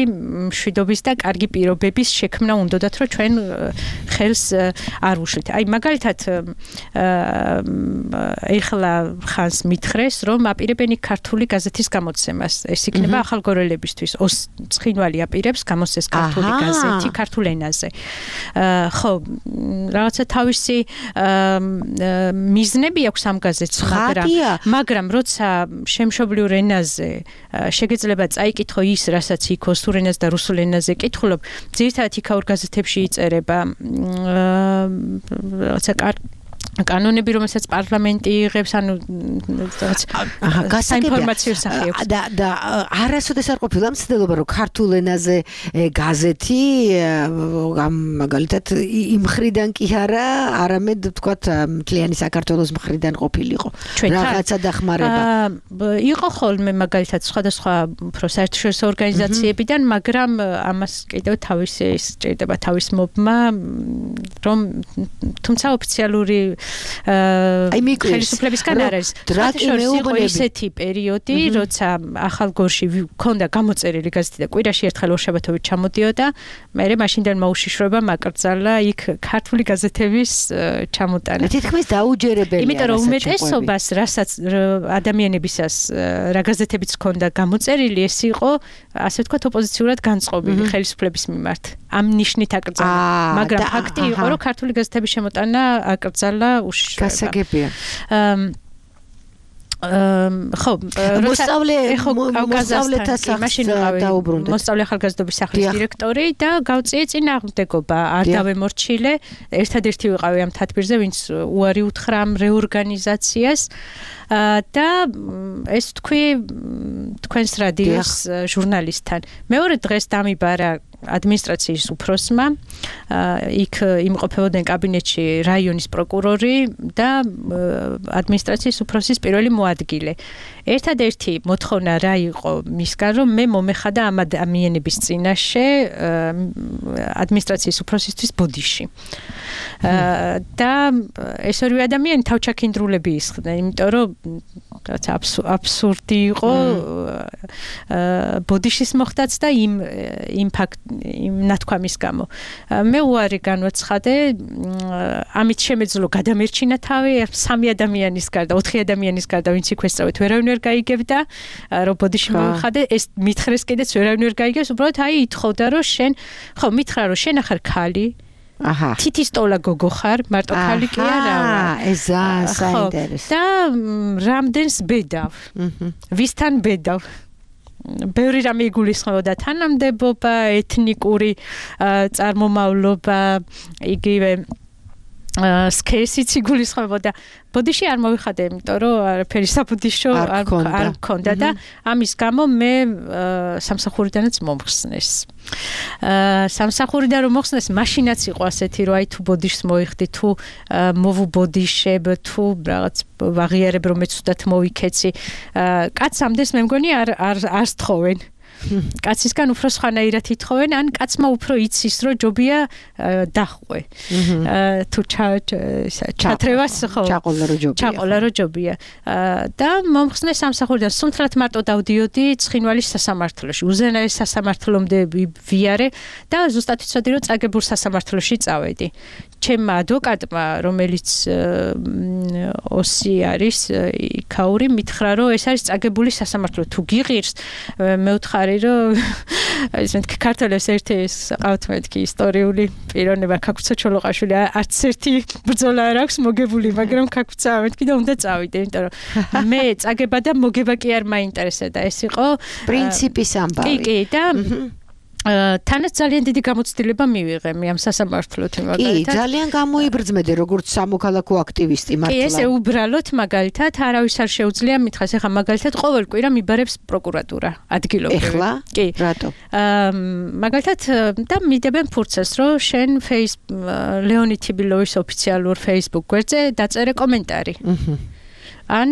მშვიდობის და კარგი პირობების შექმნა უნდათ, რომ ჩვენ ხელს არ უშლით. აი მაგალითად ეხლა ხანს მითხრეს, რომ აპირებენ ქართული გაზეთის გამოცემას. ეს იქნება ახალგორელებისთვის. ცხინვალი აპირებს გამოსცეს ქართული გაზეთი ქართულ ენაზე. ხო, რაღაცა თავისი მიზნები აქვს ამ გაზეთს, მაგრამ როცა შემშობლიურ ენაზე შეგეძლება წაიკითხო ის, რასაც იქ ოსურ ენაზე და რუსულ ენაზე კითხულობ, ძირითადად იქაურ გაზეთებში იწერება რაღაცა კანონები, რომელსაც პარლამენტი იღებს, ანუ საინფორმაციო სახე აქვს.
და არასოდეს არ ყოფილა მცდელობა, რომ ქართულ ენაზე გაზეთი მაგალითად იმ მხრიდან კი არა, არამედ ვთქვათ, მთლიანი საქართველოს მხრიდან ყოფილიყო. რაღაცა დახმარება.
იყო ხოლმე მაგალითად სხვადასხვა საერთაშორისო ორგანიზაციებიდან, მაგრამ ამას კიდევ თავისი სჭირდება თავის მობმა, რომ თუმცა ოფიციალური ხელისუფლებისგან არ არის. იყო ისეთი პერიოდი, როცა ახალგორში ჰქონდა გამოწერილი გაზეთი და კვირაში ერთხელ ორშაბათობით ჩამოდიოდა, მერე მაშინდელ მოუშიშრება მაკრძალა იქ ქართული გაზეთების ჩამოტანა.
თითქმის დაუჯერებელია.
იმიტომ რომ უმეტესობას, რასაც ადამიანებისას რა გაზეთებიც ჰქონდა გამოწერილი, ეს იყო ასე ვთქვათ ოპოზიციურად განწყობილი ხელისუფლების მიმართ. ამ ნიშნით აკრძალა. მაგრამ ფაქტი იყო, რომ ქართული გაზეთების შემოტანა აკრძალა უშიშრება.
გასაგებია.
ხო, მოსწავლე ახალგაზრდობის სახლის დირექტორი და გავწიე წინააღმდეგობა, არ დავემორჩილე, ერთადერთი ვიყავი ამ თათბირზე, ვინც უარი უთხრა ამ რეორგანიზაციას და ეს თქვი თქვენს რადიოს ჟურნალისტთან. მეორე დღეს დამიბარა ადმინისტრაციის უფროსმა, იქ იმყოფებოდნენ კაბინეტში რაიონის პროკურორი და ადმინისტრაციის უფროსის პირველი მოადგილე. ერთადერთი მოთხოვნა რა იყო მისგან, რომ მე მომეხადა ამ ადამიანების წინაშე ადმინისტრაციის უფროსისთვის ბოდიში. და ეს ორივე ადამიანი თავჩაქინდრულები ისხდნენ, იმიტომ რომ რაც აბსურდი იყო ბოდიშის მოხდაც და იმ ნათქვამის გამო. მე უარი განვაცხადე, ამით შემეძლო გადამერჩინა თავი 3 ადამიანის გარდა, 4 ადამიანის გარდა, ვინც იქ ესწავეთ, ვერავინ ვერ გაიგებდა, რომ ბოდიში მომხადე, ეს მითხრეს კიდეც ვერავინ ვერ გაიგებს, უბრალოდ აი ითხოვდა, რომ შენ, ხო, მითხრა, რომ შენ ახარ ქალი, თითის ტოლა გოგო ხარ, მარტო ქალი კი არა.
ეს საინტერესო.
და რამდენს ბედავ. ვისთან ბედავ. ბევრი რამე იგულისხმებოდა, თანამდებობა, ეთნიკური წარმომავლობა, იგივე სქესიც იგულისხმებოდა. ბოდიში არ მოვიხადე, იმიტომ რომ არაფერი საბოდიშო არ მქონდა და ამის გამო მე სამსახურიდანაც მომხსნეს. სამსახურიდან რომ მოხსნეს, მაშინაც იყო ასეთი, რომ აი თუ ბოდიშს მოიხდი, თუ მოვუბოდიშებ, თუ რაღაც ვაღიარებ, რომ მე ცუდად მოვიქეცი. კაცს ამდენს მე მგონი არ სთხოვენ. კაცისგან უფრო სხვანაირად ითხოვენ, ან კაცმა უფრო იცის, რომ ჯობია დახვე. თუ ჩათრევას ხო ჩაყოლა რო ჯობია. და მომხსნეს სამსახურიდან, სუნთლად მარტო დავდიოდი ცხინვალის სასამართლოში. უზენაეს სასამართლომდე ვიარე და ზუსტად ვიცოდი, რომ წაგებულ სასამართლოში წავედი. ჩემმა ადვოკატმა, რომელიც ოსი არის, იქაური, მითხრა, რომ ეს არის წაგებული სასამართლო. თუ გიღირს, მე ვთხარი, რომ ეს მეთქი ქართველებს ერთი ყავთ მეთქი ისტორიული პიროვნება ქაქუცა ჩოლოყაშვილი, არც ერთი ბრძოლა არ აქვს მოგებული, მაგრამ ქაქუცა მეთქი და უნდა წავიდე, იმიტომ რომ მე წაგება და მოგება კი არ მაინტერესებდა. ეს იყო
პრინციპის ამბავი.
კი, და თანაც ძალიან დიდი გამოცდილება მივიღე მე ამ სასამართლოთ
კი,
მაგალითად.
ძალიან გამოიბრძმედე როგორც სამოქალაქო აქტივისტი მართლა.
კი, ესე უბრალოდ მაგალითად არავის არ შეუძლია მითხრას, ეხლა მაგალითად ყოველ კვირა მიბარებს პროკურატურა ადგილობრივი.
ეხლა?
კი.
რატო?
მაგალითად და მიდებენ ფურცელს, რომ შენ ლეონიდ თიბილოვის ოფიციალურ Facebook გვერდზე დაწერე კომენტარი. ან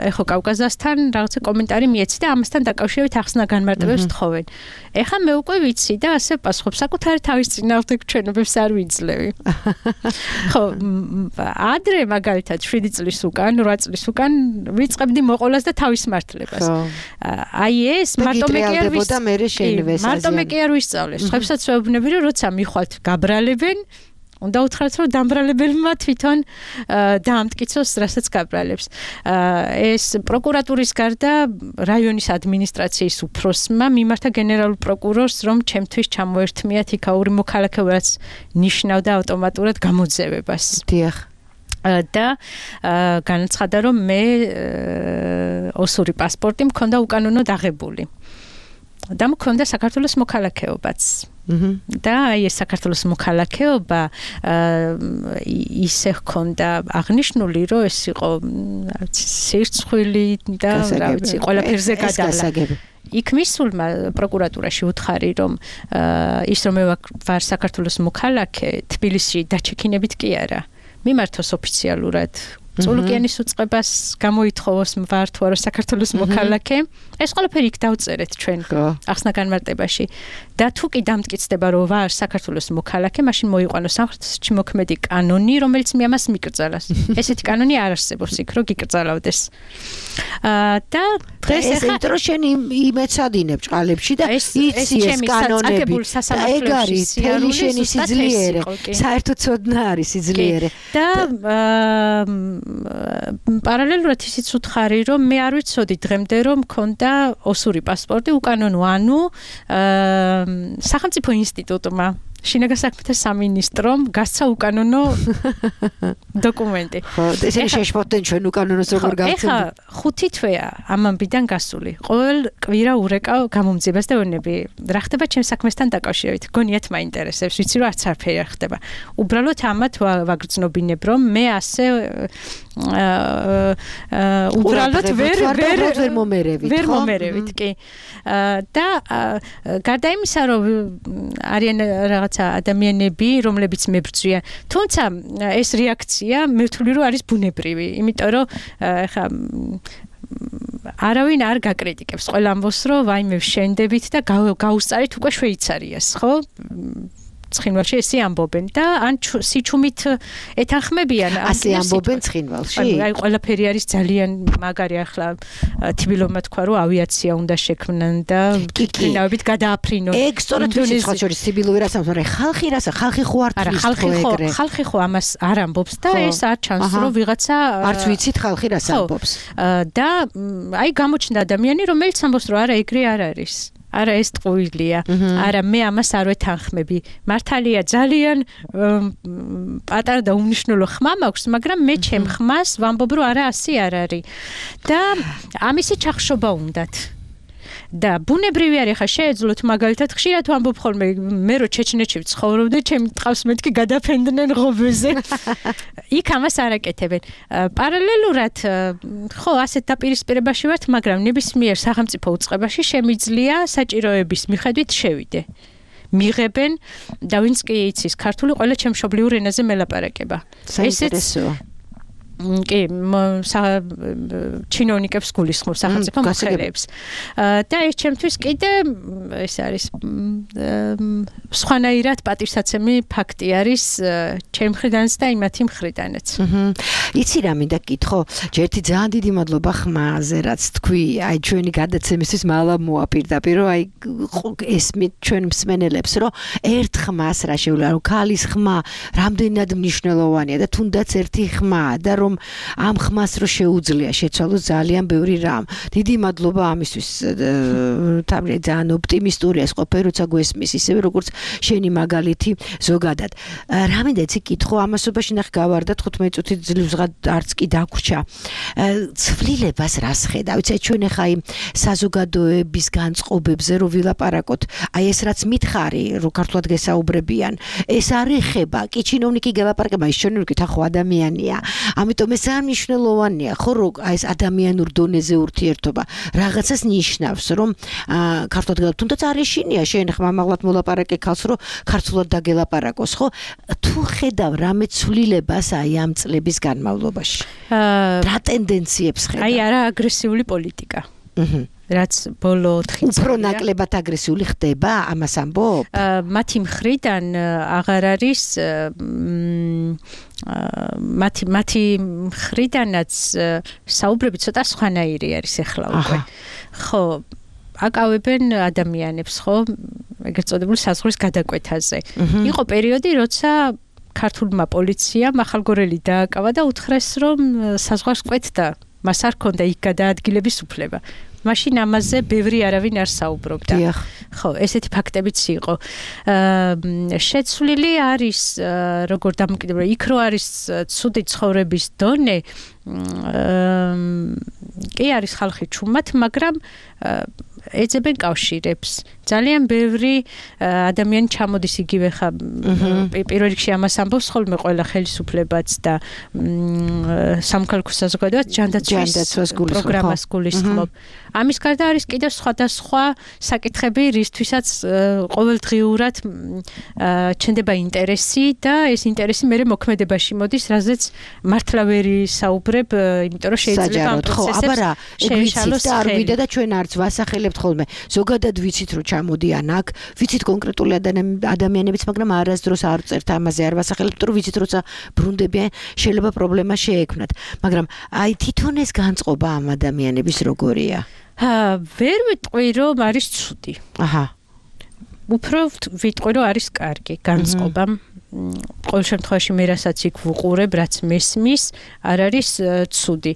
ეხო კავკასიასთან რაღაცა კომენტარი მიეცი და ამასთან დაკავშირებით ახსნა განმარტებებს თხოვენ. ეხა მე უკვე ვიცი და ასე პასუხობ, საკუთარი თავის წინააღმდეგ ჩვენებებს არ ვიძლევი. ხო, ადრე მაგალითად 7 წლის უკან, 8 წლის უკან ვიწყებდი მოყოლას და თავის მართლებას. აი ეს მარტო მე კი არ ვისწავლეს. ხებსაც ვეუბნები, რომ როცა მიხვალთ გაბრალებენ უნდა უთხრათ, რომ დამბრალებელმა თვითონ დაამტკიცოს, რასაც გაბრალებს. ეს პროკურატურის გარდა რაიონის ადმინისტრაციის უფროსმა მიმართა გენერალურ პროკურორს, რომ ჩემთვის ჩამოერთმიათ იქაური მოქალაქეობა, რაც ნიშნავდა ავტომატურად გამოძევებას.
დიახ.
და განაცხადა, რომ მე ოსური პასპორტი მქონდა უკანონოდ აღებული. და მქონდა საქართველოს მოქალაქეობაც. და აი ეს საქართველოს მოქალაქეობა ისე ჰქონდა აღნიშნული, რომ ეს იყო სირცხვილი და რა ვიცი, ყველაფერზე გადალა. იქ მისულმა პროკურატურაში უთხარი, რომ ის რომ მე ვარ საქართველოს მოქალაქე, თბილისში დაჩექინებით კი არა. მიმართოს ოფიციალურად წულუკიანის უწყებას გამოითხოვოს ვარ თუ არა საქართველოს მოქალაქე. ეს ყველაფერი იქ დავწერეთ ჩვენ ახსნა განმარტებაში. და თუ კი დამტკიცდება, რომ ვარ საქართველოს მოქალაქე, მაშინ მოიყვანოს სამხრეთში მოქმედი კანონი, რომელიც მე ამას მიკრძალას. ესეთი კანონი არ არსებობს იქ, რომ გიკრძალავდეს. და დღეს
ეხლა ეს შენ იმეცადინებ ჭყალებში და იცი ეს კანონები. ეგ არის თელი შენი სიძლიერე. საერთოდ ცოდნა არის სიძლიერე.
და პარალელურად ისიც უთხარი, რომ მე არ ვიცოდი დღემდე, რომ მქონდა ოსური პასპორტი უკანონო, ანუ სახელმწიფო ინსტიტუტმა შინაგან საქმეთა სამინისტრომ გასცა უკანონო დოკუმენტი.
ხო, ესენი შეშფოთდნენ ჩვენ უკანონოს როგორ გავცემთ.
ეხა 5 თვეა ამ ამბიდან გასული. ყოველ კვირა ურეკავ გამომძიებას და ვენები, რა ხდება ჩემს საქმესთან დაკავშირებით. გონიათ მაინტერესებს, ვიცი რომ არც არაფერი არ ხდება. უბრალოდ ამათ ვაგრძნობინებ, რომ მე ასე უბრალოდ ვერ მომერევით, კი. და გარდა იმისა, რომ არიან რაღაცა ადამიანები, რომლებიც მებრძვიან, თუმცა ეს რეაქცია მე ვთვლი, რომ არის ბუნებრივი, იმიტომ რომ ეხა არავინ არ გაკრიტიკებს, ყველა ამბობს, რომ ვაიმე ვშენდებით და გაუსწარით უკვე შვეიცარიას, ხო? ცხინვალში ესე ამბობენ და ან სიჩუმით ეთანხმებიან
ასე ამბობენ ცხინვალში.
აი ყველაფერი არის ძალიან მაგარი, ახლა თბილოვმა თქვა, რომ ავიაცია უნდა შექმნან და კიკინავებით გადააფრინონ.
ეგ სწორად ვიცი, სხვა შორის თბილოვი რას ამბობს, მაგრამ ხალხი ხო არ თვლის ეგრე.
ხალხი ხო ამას არ ამბობს და ეს არ ჩანს, რომ ვიღაცა
არც ვიცით ხალხი რას ამბობს.
და აი გამოჩნდა ადამიანი, რომელიც ამბობს, რომ არა ეგრე არ არის. არა ეს ტყუილია. არა მე ამას არ ვეთანხმები. მართალია ძალიან პატარა და უმნიშვნელო ხმა მაქვს, მაგრამ მე ჩემ ხმას ვამბობ, რომ არა ასე არ არის. და ამისი ჩახშობა უნდათ. და ბუნებრივი არის, ხა შეეძლოთ მაგალითად ხშირად ვამბობ ხოლმე, მე რო ჩეჩნეთში ვცხოვრობდი, ჩემი ტყავს მეთქი გადაფენდნენ ღობეზე. იქ ამას არ აკეთებენ. პარალელურად ხო ასეთ დაპირისპირებაში ვართ, მაგრამ ნებისმიერ სახელმწიფო უწყებაში შემიძლია საჭიროების მიხედვით შევიდე. მიღებენ და ვინც კი იცის ქართული, ყველა ჩემშობლიურ ენაზე მელაპარაკება.
საინტერესოა.
კი, ჩინოვნიკებს გულისხმობს სახელმწიფო მოხელეებს. და ეს ჩემთვის კიდე ეს არის სხვანაირად პატივსაცემი ფაქტი არის ჩემ მხრიდანაც და იმათი მხრიდანაც.
იცი რა მინდა გითხო, ერთი ძალიან დიდი მადლობა ხმაზე, რაც თქვი, აი ჩვენი გადაცემისთვის მალა მოაპირდაპირ, რომ აი ესმით ჩვენ მსმენელებს, რომ ერთ ხმას რა შეუძლია, რომ ქალის ხმა რამდენად მნიშვნელოვანია და თუნდაც ერთი ხმა და რომ ამ ხმას რო შეუძლია შეცვალოს ძალიან ბევრი რამ. დიდი მადლობა ამისთვის. თავი ძალიან ოპტიმისტურია ეს ყოფილი, როცა გვესმის, ისევე როგორც შენი მაგალითი ზოგადად. რა მინდა იცი კითხო, ამასობაში ნახე გავარდა 15 წუთი ძლივსღად არც კი დაგვრჩა. ცვლილებას რას ხედავ? იცი ჩვენ ახლა იმ საზოგადოების განწყობებზე რო ვილაპარაკოთ, აი ეს რაც მითხარი, რო ქართულად გესაუბრებიან, ეს არ ეხება. კი ჩინოვნიკი გელაპარაკება, ის ჩინოვნიკი თან ხო ადამიანია. ამიტომ ამიტომ ეს მნიშვნელოვანია, ხო, რომ აი ეს ადამიანურ დონეზე ურთიერთობა რაღაცას ნიშნავს, რომ ქართულად გელაპარაკო, თუნდაც არის შინია, შენ ხმამაღლად მოლაპარაკე ქალს, რომ ქართულად დაგელაპარაკოს, ხო? თუ ხედავ რამე ცვლილებას აი ამ წლების განმავლობაში. რა ტენდენციებს ხედავ?
აი არა აგრესიული პოლიტიკა. რაც ბოლო 4 წელია
უფრო ნაკლებად აგრესიული ხდება, ამას ამბობ?
მათი მხრიდან აღარ არის მათი მხრიდანაც საუბრები ცოტა სხვანაირი არის ახლა უკვე. ხო, აკავებენ ადამიანებს, ხო, ეგრეთ წოდებული საზღვრის გადაკვეთაზე. იყო პერიოდი, როცა ქართულმა პოლიციამ ახალგორელი დააკავა და უთხრეს, რომ საზღვარს კვეთდა, მას არ ჰქონდა იქ გადაადგილების უფლება. მაშინ ამაზე ბევრი არავინ არ საუბრობდა. ხო, ესეთი ფაქტებიც იყო. შეცვლილი არის როგორ დამოკიდებული, იქ რო არის ცუდი ცხოვრების დონე, კი არის ხალხი ჩუმად, მაგრამ ეძებენ კავშირებს. ძალიან ბევრი ადამიანი ჩამოდის იგივე ხა პირველ რიგში ამას ამბობს ხოლმე ყველა ხელისუფლებაც და სამოქალაქო საზოგადოებაც ჯანდაცვის პროგრამას გულისხმობ. ამის გარდა არის კიდევ სხვადასხვა საკითხები, რისთვისაც ყოველდღიურად ჩნდება ინტერესი და ეს ინტერესი მერე მოქმედებაში მოდის, რაზეც მართლა ვერ საუბრებ, იმიტომ რომ შეიძლება ამ პროცესებს შეეშალოს
და არ ვიდა და ჩვენ არც ვასახელებთ ხოლმე. ზოგადად ვიცით რომ ჩამოდიან აქ, ვიცით კონკრეტული ადამიანებიც, მაგრამ არასდროს არ წერთ ამაზე, არ ვასახელებთ, რომ ვიცით როცა ბრუნდებიან, შეიძლება პრობლემა შეექმნათ. მაგრამ აი თვითონ ეს განწყობა ამ ადამიანების როგორია?
ვერ ვიტყვი რომ არის ცუდი. უფრო ვიტყვი რომ არის კარგი განწყობა. ყოველ შემთხვევაში მე რასაც იქ ვუყურებ, რაც მესმის, არ არის ცუდი.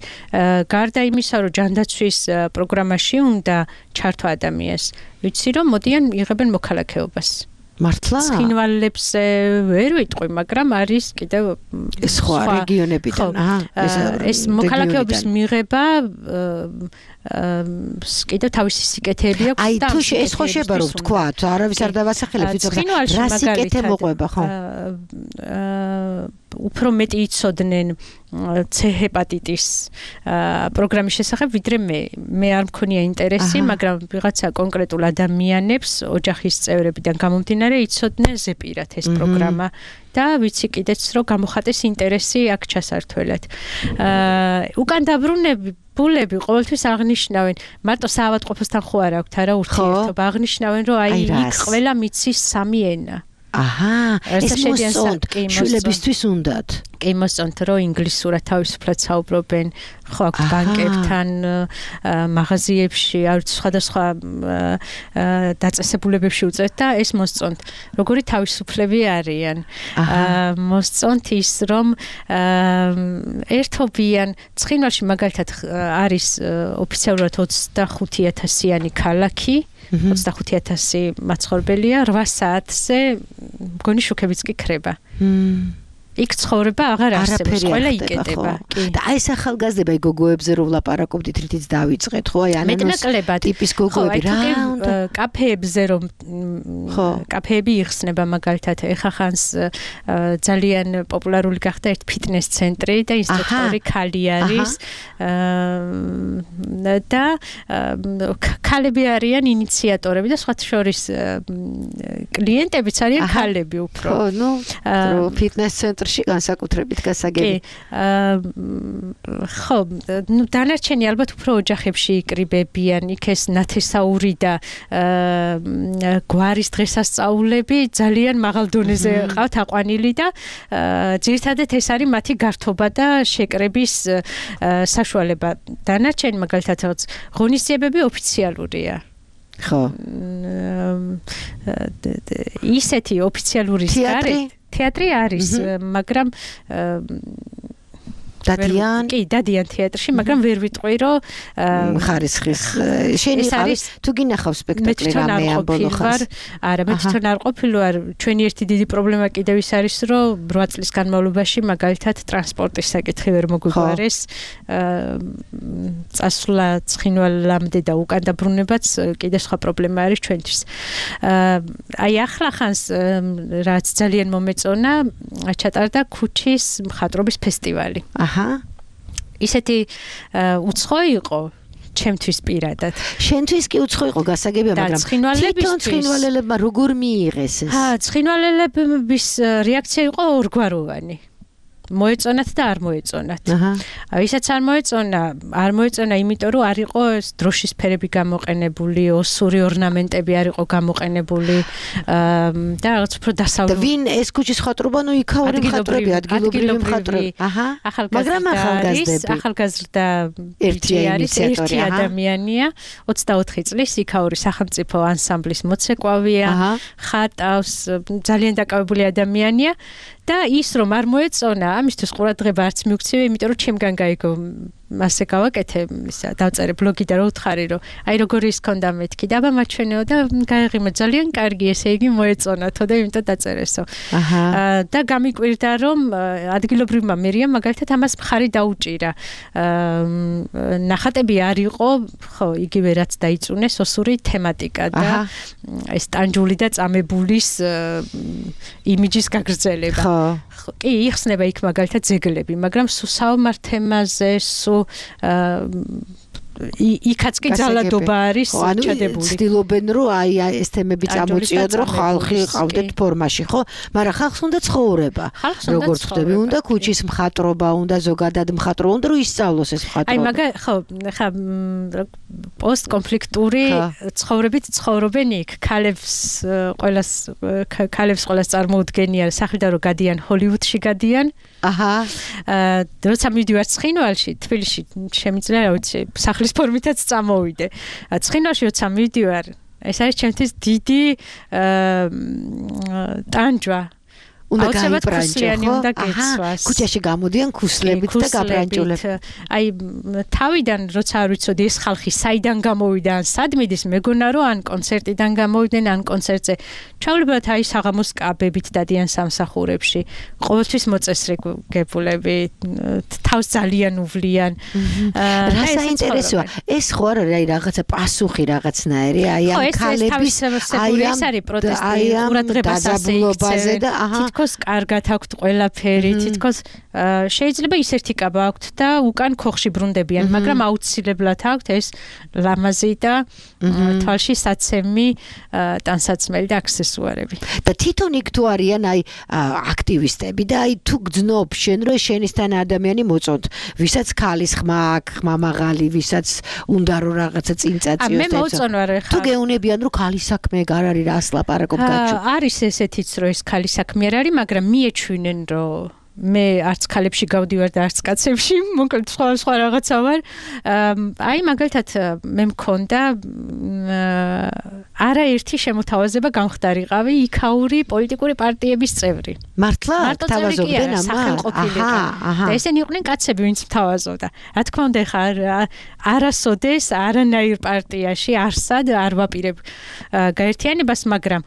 გარდა იმისა, რომ ჯანდაცვის პროგრამაში უნდა ჩართვა ადამიანს, ვიცი რომ მოდიან იღებენ მოქალაქეობას.
მართლა?
ცხინვალებზე ვერ ვიტყვი, მაგრამ არის კიდევ
სხვა რეგიონებიდან.
ეს მოქალაქეობის მიღება კიდევ თავისი სიკეთეები აქვს
და აი თუ ეს ხო შეება რომ ვთქვათ, არავის არ დავასახელებ, ვიცი რა სიკეთე მოყვება, ხო? უფრო მეტი იცოდნენ C ჰეპატიტის პროგრამის შესახებ, ვიდრე მე არ მქონია ინტერესი, მაგრამ ვიღაცა კონკრეტულ ადამიანებს ოჯახის წევრებიდან გამომდინარე იცოდნენ ზეპირად ეს პროგრამა და ვიცი კიდეც რომ გამოხატეს ინტერესი აქ ჩასართველად. უკან დაბრუნებულები ყოველთვის აღნიშნავენ, მარტო საავადმყოფოსთან ხო არ აქვთ არა ურთიერთობა, აღნიშნავენ რომ აი იქ ყველა მიცის სამი ენა. ეს მოსწონთ, შვილებისთვის უნდათ.
კი მოსწონთ, რომ ინგლისურად თავისუფლად საუბრობენ, ხო აქვთ ბანკებთან, მაღაზიებში, სხვადასხვა დაწესებულებებში უწევთ და ეს მოსწონთ. როგორი თავისუფლები არიან. მოსწონთ ის, რომ ერთობიან, ცხინვალში მაგალითად არის ოფიციალურად 25,000-იანი ქალაქი. 25,000 მაცხოვრებელია, 8 საათზე მგონი შუქებიც კი ქრება. იქ ცხოვრება აღარ არსებობს, ყველა იკეტება.
და აი ეს ახალგაზრდება გოგოებზე რო ვლაპარაკობდით, რითიც დავიწყეთ, ხო? აი ანანოს ტიპის გოგოები რა უნდა?
კაფეებზე რომ კაფეები იხსნება მაგალითად, ეხა ხანს ძალიან პოპულარული გახდა ერთ ფიტნეს ცენტრი და ინსტრუქტორი ქალი არის და ქალები არიან ინიციატორები და სხვათა შორის კლიენტებიც არიან ქალები უფრო.
ხო, ნუ ფიტნეს ცენტრი განსაკუთრებით გასაგები.
ხო, ნუ დანარჩენი ალბათ უფრო ოჯახებში იკრიბებიან, იქ ეს ნათესაური და გვარის დღესასწაულები ძალიან მაღალ დონეზე ყავთ აყვანილი და ძირითადად ეს არის მათი გართობა და შეკრების საშუალება. დანარჩენი მაგალითად ღონისძიებები ოფიციალურია.
ხო.
ისეთი ოფიციალური თეატრი არის, მაგრამ დადიან თეატრში, მაგრამ ვერ ვიტყვი რომ
ხარისხის შენ იყავს თუ გინახავ სპექტაკლი რამე ამ ბოლო ხანს.
არა, მე თვითონ არ ყოფილი ვარ. ჩვენი ერთი დიდი პრობლემა კიდევ ის არის, რომ 8 წლის განმავლობაში მაგალითად ტრანსპორტის საკითხი ვერ მოგვიგვარეს. წასვლა ცხინვალამდე და უკან დაბრუნებაც კიდევ სხვა პრობლემა არის ჩვენთვის. აი ახლა ხანს რაც ძალიან მომეწონა, ჩატარდა ქუჩის მხატვრობის ფესტივალი. ისეთი უცხო იყო ჩემთვის პირადად.
შენთვის კი უცხო იყო გასაგებია, მაგრამ თვითონ ცხინვალელებმა როგორ მიიღეს ეს?
ცხინვალელების რეაქცია იყო ორგვაროვანი. მოეწონათ და არ მოეწონათ. ვისაც არ მოეწონა, იმიტომ რომ არ იყო ეს დროშის ფერები გამოყენებული, ოსური ორნამენტები არ იყო გამოყენებული და რაღაც უფრო დასავლური.
ვინ ეს ქუჩის მხატვრობა, ნუ იქაური მხატვრები, ადგილობრივი მხატვრები. მაგრამ
ახალგაზრდა ერთი ადამიანია, 24 წლის იქაური სახელმწიფო ანსამბლის მოცეკვავია, ხატავს, ძალიან დაკავებული ადამიანია. და ის რომ არ მოეწონა, ამისთვის ყურადღება არც მიუქცია, იმიტომ რომ ჩემგან გაიგო მასე გავაკეთე, ისა დავწერე ბლოგი და რა უთხარი რომ აი როგორი ის ქონდა მეთქი და აბა მაჩვენეო და გაიღიმა ძალიან კარგი, ესე იგი მოეწონათო და იმიტომ დაწერესო. და გამიკვირდა რომ ადგილობრივმა მერიამ მაგალითად ამას მხარი დაუჭირა. ნახატები არ იყო, ხო, იგივე რაც დაიწუნეს ოსური თემატიკა და ეს ტანჯული და წამებულის იმიჯის გაგრძელება. კი, იხსნება იქ მაგალითად ძეგლები, მაგრამ სულ საომარ თემაზე, იქაც კი ძალადობა არის ჩადებული.
ცდილობენ რომ აი ეს თემები წამოწიოთ, რომ ხალხი ყავდეთ ფორმაში, ხო? მაგრამ ხალხს უნდა ცხოვრება. როგორც ხდები, უნდა ქუჩის მხატვრობა, უნდა ზოგადად მხატვრობა, უნდა რომ ისწავლოს ეს მხატვრობა.
აი ხო, ხა პოსტკონფლიქტური ცხოვრებით ცხოვრობენ იქ. ქალებს ყველას წარმოუდგენია სახლიდან რომ გადიან ჰოლივუდში გადიან. როცა მივდივარ ცხინვალში, თბილისში შემიძლია რა ვიცი, სახლის ფორმითაც წამოვიდე. ცხინვალში როცა მივდივარ, ეს არის ჩემთვის დიდი ტანჯვა.
უნდა გაიბრანჭო,
უნდა გეცვას.
ქუჩაში გამოდიან ქუსლებით და გაბრანჭულებით.
აი თავიდან როცა არ ვიცოდი ეს ხალხი საიდან გამოვიდა, ან სად მიდის, მეგონა რომ ან კონცერტიდან გამოვიდნენ, ან კონცერტზე. ჩავლებათ აი საღამოს კაბებით დადიან სამსახურებში. ყოველთვის მოწესრიგებულები, თავს ძალიან უვლიან.
რა საინტერესოა, ეს ხო არ არის აი რაღაცა პასუხი რაღაცნაირი, აი ამ ქალების
აი ეს არის პროტესტი, ყურადღებას ასეიქცევენ
და
თითქოს კარგად აქვთ ყველაფერი, თითქოს შეიძლება ის ერთი კაბა აქვთ და უკან ქოხში ბრუნდებიან, მაგრამ აუცილებლად აქვთ ეს ლამაზი და თვალში საცემი ტანსაცმელი და აქსესუარები.
და თვითონ იქ თუ არიან აი აქტივისტები და აი თუ გძნობ შენ რომ შენისთან ადამიანი მოწონთ, ვისაც ქალის ხმა აქვს, ხმა მაღალი, ვისაც უნდა რომ რაღაცა წინ წაწიოს.
მე მოწონვარ ხა.
თუ გეუნებიან რომ ქალის საქმე არ არის რა ასლაპარაკობ გაჩვენე.
არის ესეთიც რომ ეს ქალის საქმე არ არის, მაგრამ მიეჩვენენ რომ მე არც ქალებში გავდივარ და არც კაცებში, მოკლედ სხვა რაღაცა ვარ. აი მაგალითად მე მქონდა არაერთი შემოთავაზება გამხდარიყავი იქაური პოლიტიკური პარტიების წევრი.
მართლა თავაზობდნენ
სახელმყოფილიყო. და ესენი იყვნენ კაცები, ვინც მთავაზობდა. რა თქმა უნდა, ხა არასოდეს არანაირ პარტიაში არსად არ ვაპირებ გაერთიანებას, მაგრამ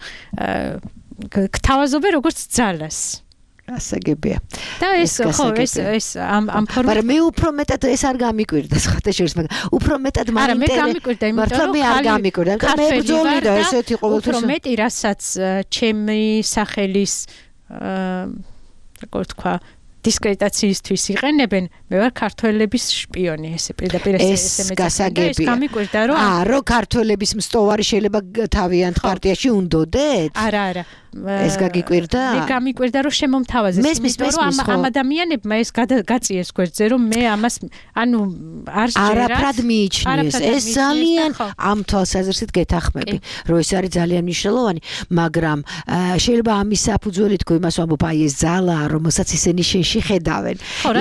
გთავაზობენ როგორც ძალას.
ასაგებია.
და ეს ხო ეს ამ ფორმით.
მაგრამ მე უფრო მეტად ეს არ გამიკვირდა სხვათა შორის, მაგრამ უფრო მეტად
არა მე გამიკვირდა, იმიტომ რომ
მე არ გამიკვირდა, მე ბრძოლი და ესეთი ყოველთვის.
უფრო მეტი რასაც ჩემი სახელის როგორ თქვა დისკრეტაციისთვის იყენებენ, მე ვარ ქართველების შპიონი, ესე პირდაპირ ესე
გასაგებია.
ეს გამიკვირდა რომ
რომ ქართველების მსტოვარი შეიძლება თავიანთ პარტიაში უნდოდეთ?
არა.
ეს გაგიკვირდა?
მე გამიკვირდა რომ შემომთავაზეს, იმიტომ რომ ამ ადამიანებმა ეს გაწიეს გვერდზე, რომ მე ამას ანუ არ შეერათ.
არაფრად მიიჩნიეს. ეს ძალიან ამ თვალსაზრისით გეთახმები, რომ ეს არის ძალიან მნიშვნელოვანი, მაგრამ შეიძლება ამის საფუძველი თქო იმას ვამბობ, აი ეს ძალაა, რომელსაც ისინი შენში ხედავენ.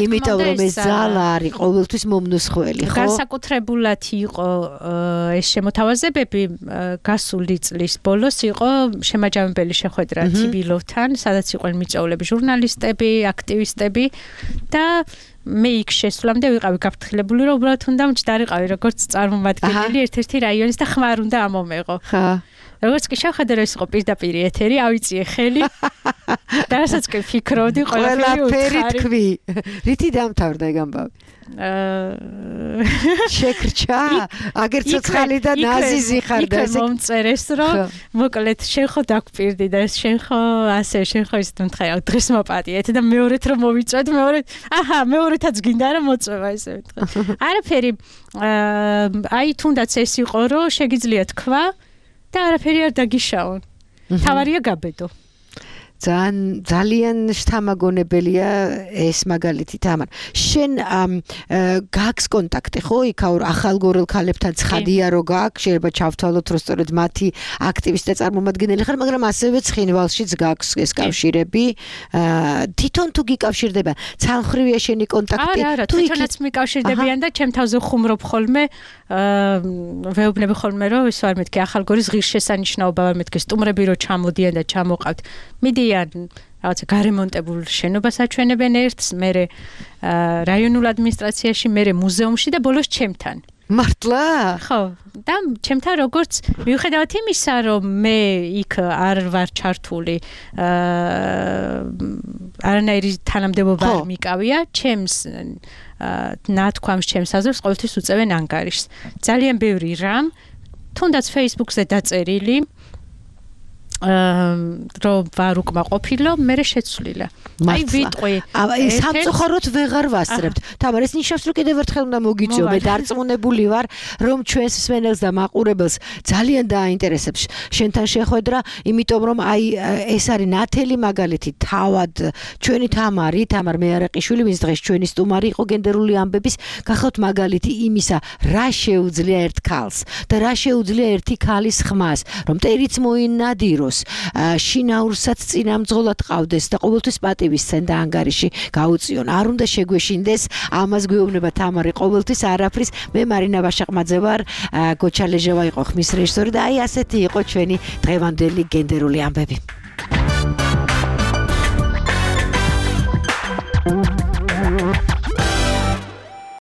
იმიტომ რომ ეს ძალა არის ყოველთვის მომნუსხველი, ხო?
განსაკუთრებულად იყო ეს შემოთავაზებები გასული წლის ბოლოს იყო შემაჯამებელი შეხვედრა თბილოვთან, სადაც იყვნენ მიწვეულები, ჟურნალისტები, აქტივისტები და მე იქ შესვლამდე ვიყავი გაფრთხილებული, რომ უბრალოდ უნდა მჯდარიყავი როგორც წარმომადგენელი ერთ-ერთი რაიონის და ხმა არ უნდა ამომეღო. როგორც კი შევხედე რომ ეს იყო პირდაპირ ეთერი, ავიწიე ხელი და რასაც კი ფიქრობდი, ყველაფერი
თქვი. რითი დამთავრდა ეგ ამბავი? შეკრჩა აგერ ცოცხალი და ნაზიზი ხარ და
ესე მომწერეს რომ მოკლედ შენ ხო დაგპირდი და შენ ხო ასე შენ ხო ის თქვა დღეს მოპატიეთ და მეორეთ რომ მოვიწვეთ მეორეთაც გინდა რომ მოწვევა ესე ვიტყვი არაფერი აი თუნდაც ეს იყო რომ შეგიძლია თქვა და არაფერი არ დაგიშაონ თავარია გაბედო
ძალიან შთამაგონებელია ეს მაგალითი თამარ შენ გაქვს კონტაქტი ხო იქაურ ახალგორელ ქალებთან ცხადია რომ გაქვს შეიძლება ჩავთვალოთ რომ სწორედ მათი აქტივისტი და წარმომადგენელი ხარ მაგრამ ასევე ცხინვალშიც გაქვს ეს კავშირები თვითონ თუ გიკავშირდება ცალმხრივია შენი კონტაქტი
არა თვითონაც მიკავშირდებიან და ჩემ თავზე ხუმრობ ხოლმე ვეუბნები ხოლმე რომ ის არ მეთქი ახალგორის ღირსშესანიშნაობა არ მეთქი სტუმრები რომ ჩამოდიან და ჩამოყავთ მიდიან რაღაცა გარემონტებულ შენობას აჩვენებენ ერთს მერე რაიონულ ადმინისტრაციაში მერე მუზეუმში და ბოლოს ჩემთან
მართლა
ხო და ჩემთან როგორც მიუხედავად იმისა რომ მე იქ არ ვარ ჩართული არანაირი თანამდებობა არ მიკავია ჩემს ნათქვამს ჩემს აზრს ყოველთვის უწევენ ანგარიშს ძალიან ბევრი რამ თუნდაც Facebook-ზე დაწერილი რომ ვარ უკმაყოფილო მე შეცვლილა აი ვიტყვი
სამწუხაროდ ვეღარ ვასწრებთ თამარ ეს ნიშნავს რომ კიდევ ერთხელ უნდა მოგიწიო მე დარწმუნებული ვარ რომ ჩვენს მსმენელს და მაყურებელს ძალიან დააინტერესებს შენთან შეხვედრა იმიტომ რომ აი ეს არის ნათელი მაგალითი თავად ჩვენი თამარ მეარაყიშვილი ვინც დღეს ჩვენი სტუმარი იყო გენდერული ამბების გახავთ მაგალითი იმისა რა შეუძლია ერთ ქალს და რა შეუძლია ერთი ქალის ხმას რომ ტერიც მოინადირო შინაურსაც წინამძღოლად ყავდეს და ყოველთვის პატივისცენ და ანგარიში გაუწიონ არ უნდა შეგვეშინდეს ამას გვეუბნება თამარი ყოველთვის არაფრის მე მარინა ვაშაყმაძე ვარ გოჩალეჟევა იყო ხმის რეჟისორი და აი ასეთი იყო ჩვენი დღევანდელი გენდერული ამბები